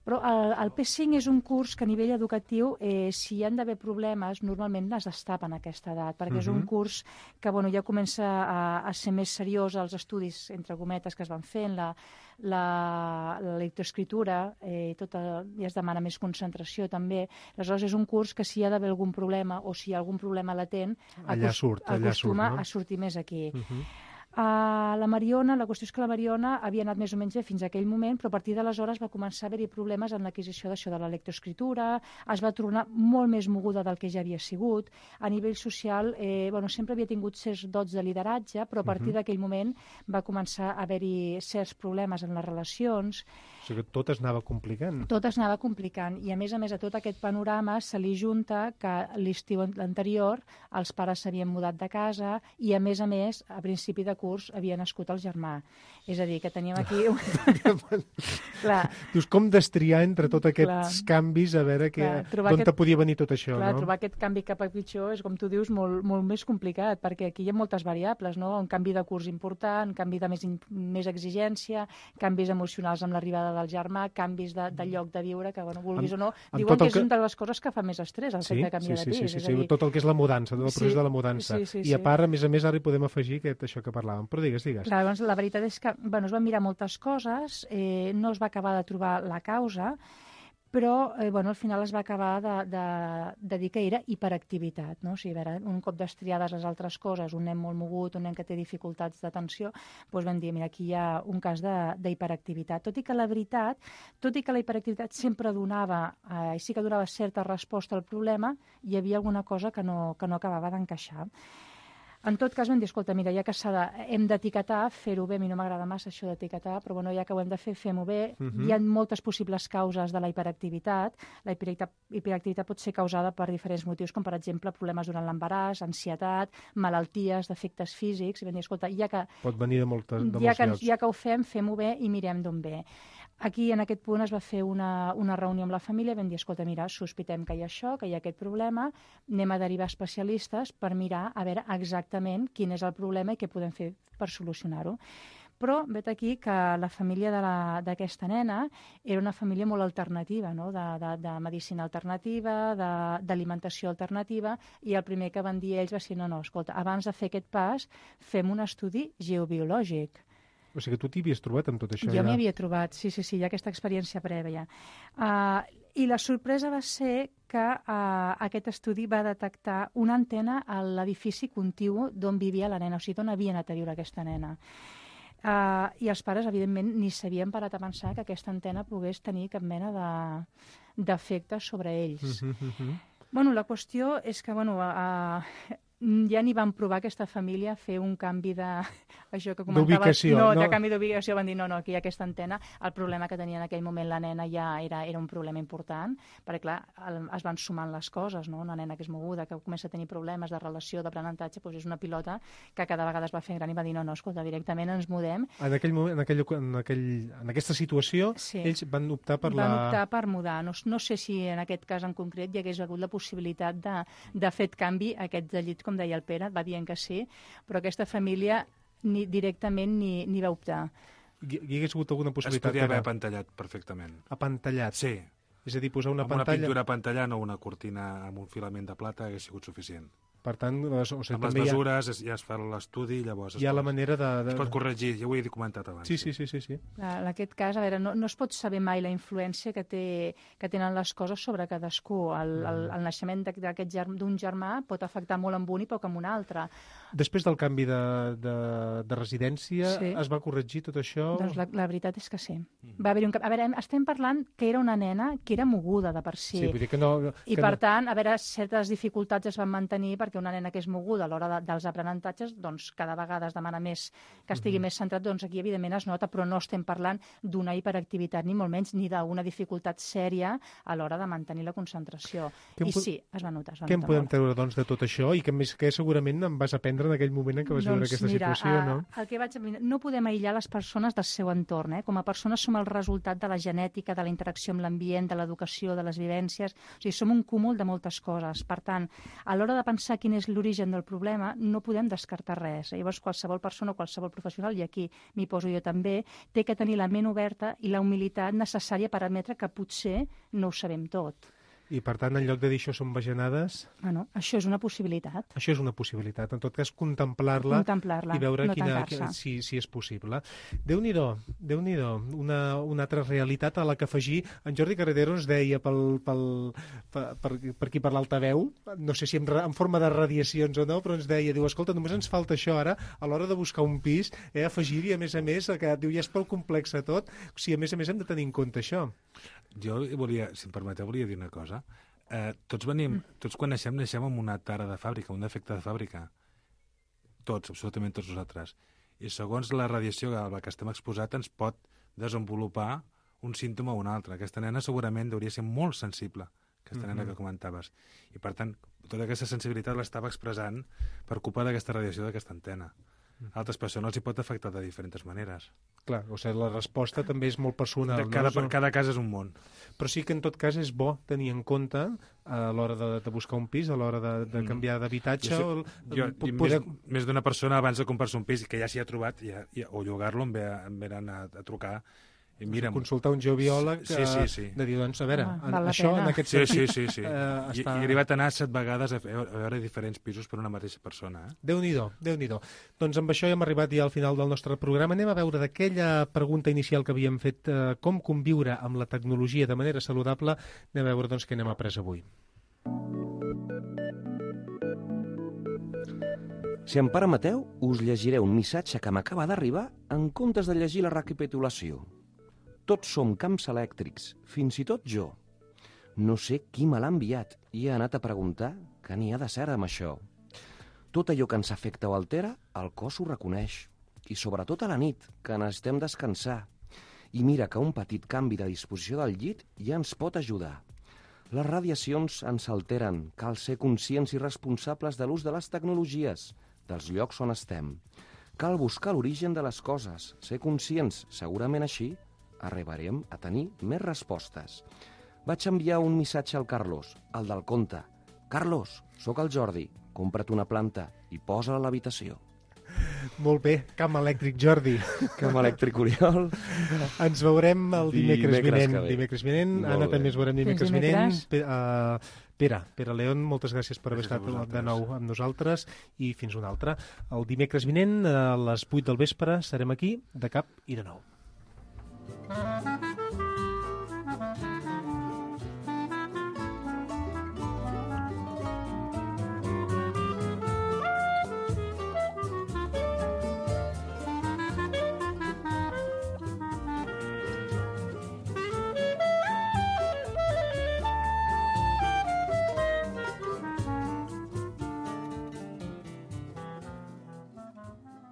Speaker 1: Però el P5 és un curs que a nivell educatiu, si hi han d'haver problemes, normalment es destapen a aquesta edat, perquè és un curs que ja comença a ser més seriós als estudis, entre cometes, que es van fent, la lectoescriptura, ja es demana més concentració també. Aleshores és un curs que si hi ha d'haver algun problema o si hi ha algun problema latent, acostuma a sortir més aquí. La Mariona, la qüestió és que la Mariona havia anat més o menys bé fins a aquell moment, però a partir d'aleshores va començar a haver-hi problemes en l'adquisició d'això de la lectoescriptura, es va tornar molt més moguda del que ja havia sigut. A nivell social, sempre havia tingut certs dots de lideratge, però a partir d'aquell moment va començar a haver-hi certs problemes en les relacions.
Speaker 3: O sigui que tot es anava complicant.
Speaker 1: Tot es anava complicant i a més a tot aquest panorama se li junta que l'estiu anterior els pares s'havien mudat de casa i a més, a principi de curs havia nascut el germà. És a dir, que teníem aquí...
Speaker 3: Dius, com destriar entre tots aquests canvis, a veure d'on te podia venir tot això, no?
Speaker 1: Trobar aquest canvi cap a pitjor és, com tu dius, molt més complicat, perquè aquí hi ha moltes variables, no? Un canvi de curs important, un canvi de més exigència, canvis emocionals amb l'arribada del germà, canvis de lloc de viure, que, vulguis o no, diuen que és una de les coses que fa més estrès, el fet de canviar de pis.
Speaker 3: Sí, tot el que és la mudança, tot el procés de la mudança. I a part, a més, ara hi podem afegir això que parlàvem. Però digues.
Speaker 1: Clar, doncs la veritat és que es van mirar moltes coses, no es va acabar de trobar la causa, però al final es va acabar de dir que era hiperactivitat, no? O sigui, un cop destriades les altres coses, un nen molt mogut, un nen que té dificultats d'atenció, doncs vam dir, mira, aquí hi ha un cas d'hiperactivitat. Tot i que la hiperactivitat sempre donava, i sí que donava certa resposta al problema, hi havia alguna cosa que no acabava d'encaixar. En tot cas vam dir, escolta, mira, ja que hem d'etiquetar, fer-ho bé, a mi no m'agrada massa això d'etiquetar, però ja que ho hem de fer, fem-ho bé. Hi ha moltes possibles causes de la hiperactivitat. La hiperactivitat pot ser causada per diferents motius, com per exemple problemes durant l'embaràs, ansietat, malalties, defectes físics. I vam dir, escolta,
Speaker 3: pot venir de molts llocs.
Speaker 1: Ja que ho fem-ho bé i mirem d'on ve. Aquí, en aquest punt, es va fer una reunió amb la família i vam dir, escolta, mira, sospitem que hi ha això, que hi ha aquest problema, anem a derivar especialistes per mirar a veure exactament quin és el problema i què podem fer per solucionar-ho. Però vet aquí que la família d'aquesta nena era una família molt alternativa, no? De medicina alternativa, d'alimentació alternativa, i el primer que van dir ells va ser, no, escolta, abans de fer aquest pas, fem un estudi geobiològic.
Speaker 3: O sigui que tu t'hi havies trobat amb tot això?
Speaker 1: Jo m'hi havia trobat, sí, hi ha aquesta experiència prèvia. I la sorpresa va ser que aquest estudi va detectar una antena a l'edifici contigu d'on vivia la nena, o sigui, d'on havia anat a viure aquesta nena. I els pares, evidentment, ni s'havien parat a pensar que aquesta antena pogués tenir cap mena d'efecte sobre ells. La qüestió és que, ja ni van provar aquesta família fer un canvi això que comentaves.
Speaker 3: D'ubicació.
Speaker 1: No, de canvi d'ubicació. Van dir, no, aquí hi ha aquesta antena. El problema que tenia en aquell moment la nena ja era un problema important, perquè, clar, es van sumant les coses, no? Una nena que és moguda, que comença a tenir problemes de relació, d'aprenentatge, doncs és una pilota que cada vegada es va fer gran i va dir, no, escolta, directament ens mudem.
Speaker 3: En aquell moment, en aquesta situació, sí, ells van optar per
Speaker 1: Van optar per mudar. No sé si en aquest cas en concret hi hagués hagut la possibilitat de fer canvi a aquest de llit, com deia el Pere, va dient que sí, però aquesta família directament ni va optar.
Speaker 3: Hi hagués hagut alguna possibilitat?
Speaker 5: Es podia haver apantallat perfectament.
Speaker 3: Apantallat?
Speaker 5: Sí.
Speaker 3: És a dir, posar una
Speaker 5: pantalla...
Speaker 3: pantalla...
Speaker 5: Una pintura apantallant o una cortina amb un filament de plata hagués sigut suficient.
Speaker 3: Per tant,
Speaker 5: amb les mesures ja es fa l'estudi, llavors
Speaker 3: hi ha la manera
Speaker 5: es pot corregir, ja ho he comentat abans.
Speaker 3: Sí.
Speaker 1: En aquest cas, a veure, no es pot saber mai la influència que tenen les coses sobre cadascú. El naixement d'un germà pot afectar molt amb un i poc amb un altre.
Speaker 3: Després del canvi de residència, sí, es va corregir tot això?
Speaker 1: Doncs la veritat és que sí. Va haver-hi un canvi. A veure, estem parlant que era una nena que era moguda de per si.
Speaker 3: Sí, vull dir que no...
Speaker 1: I per tant, a veure, certes dificultats es van mantenir perquè una nena que és moguda a l'hora dels aprenentatges, doncs cada vegada es demana més que estigui més centrat, doncs aquí evidentment es nota, però no estem parlant d'una hiperactivitat ni molt menys, ni d'una dificultat sèria a l'hora de mantenir la concentració. I sí, es va notar.
Speaker 3: Què en podem treure doncs de tot això i que segurament em vas aprendre en aquell moment en què vas viure aquesta situació, no?
Speaker 1: El que vaig aprendre, no podem aïllar les persones del seu entorn, Com a persones som el resultat de la genètica, de la interacció amb l'ambient, de l'educació, de les vivències, o sigui, som un cúmul de moltes coses. Per tant, a l'hora de pensar quin és l'origen del problema, no podem descartar res. Llavors, qualsevol persona o qualsevol professional, i aquí m'hi poso jo també, té que tenir la ment oberta i la humilitat necessària per admetre que potser no ho sabem tot.
Speaker 3: I, per tant, en lloc de dir això són bajanades...
Speaker 1: Bueno, això és una possibilitat.
Speaker 3: Això és una possibilitat. En tot cas, contemplar-la i veure si és possible. Déu-n'hi-do, una altra realitat a la que afegir. En Jordi Carretero ens deia per aquí per l'altaveu, no sé si en forma de radiacions o no, però ens deia, diu, escolta, només ens falta això ara, a l'hora de buscar un pis, afegir-hi, a més, que diu, ja és prou complex tot, o sigui, a més hem de tenir en compte això.
Speaker 5: Jo volia, si em permeteu, volia dir una cosa. Tots quan naixem amb una tara de fàbrica, un defecte de fàbrica. Tots, absolutament tots nosaltres. I segons la radiació a la que estem exposats ens pot desenvolupar un símptoma o un altre. Aquesta nena segurament hauria ser molt sensible, aquesta nena que comentaves. I per tant, tota aquesta sensibilitat l'estava expressant per culpa d'aquesta radiació d'aquesta antena. A altres persones els hi pot afectar de diferents maneres.
Speaker 3: Clar, o sigui, la resposta també és molt personal.
Speaker 5: Cada cas és un món.
Speaker 3: Però sí que en tot cas és bo tenir en compte a l'hora de buscar un pis, a l'hora de canviar d'habitatge...
Speaker 5: Més d'una persona abans de comprar-se un pis que ja s'hi ha trobat o llogar-lo em ve a trucar i mira'm.
Speaker 3: Consultar un geobiòleg de dir, doncs, a veure, això en aquest sentit...
Speaker 5: Sí. I he arribat a anar 7 vegades a veure diferents pisos per una mateixa persona.
Speaker 3: Déu-n'hi-do. Doncs amb això hem arribat ja al final del nostre programa. Anem a veure d'aquella pregunta inicial que havíem fet, com conviure amb la tecnologia de manera saludable, anem a veure doncs què n'hem après avui.
Speaker 4: Si em permeteu, us llegiré un missatge que m'acaba d'arribar en comptes de llegir la recapitulació. Tots som camps elèctrics, fins i tot jo. No sé qui me l'ha enviat i he anat a preguntar què n'hi ha de cert amb això. Tot allò que ens afecta o altera, el cos ho reconeix. I sobretot a la nit, que necessitem descansar. I mira que un petit canvi de disposició del llit ja ens pot ajudar. Les radiacions ens alteren, cal ser conscients i responsables de l'ús de les tecnologies, dels llocs on estem. Cal buscar l'origen de les coses, ser conscients, segurament així arribarem a tenir més respostes. Vaig enviar un missatge al Carlos, el del conte. Carlos, sóc el Jordi, compra't una planta i posa-la a l'habitació.
Speaker 3: Molt bé, camp elèctric, Jordi.
Speaker 4: Camp elèctric, Oriol.
Speaker 3: Ens veurem el dimecres vinent. Anna, també ens veurem dimecres vinent. Pere León, moltes gràcies per haver estat de nou amb nosaltres i fins un altre. El dimecres vinent, a les 8 del vespre, serem aquí, de cap i de nou.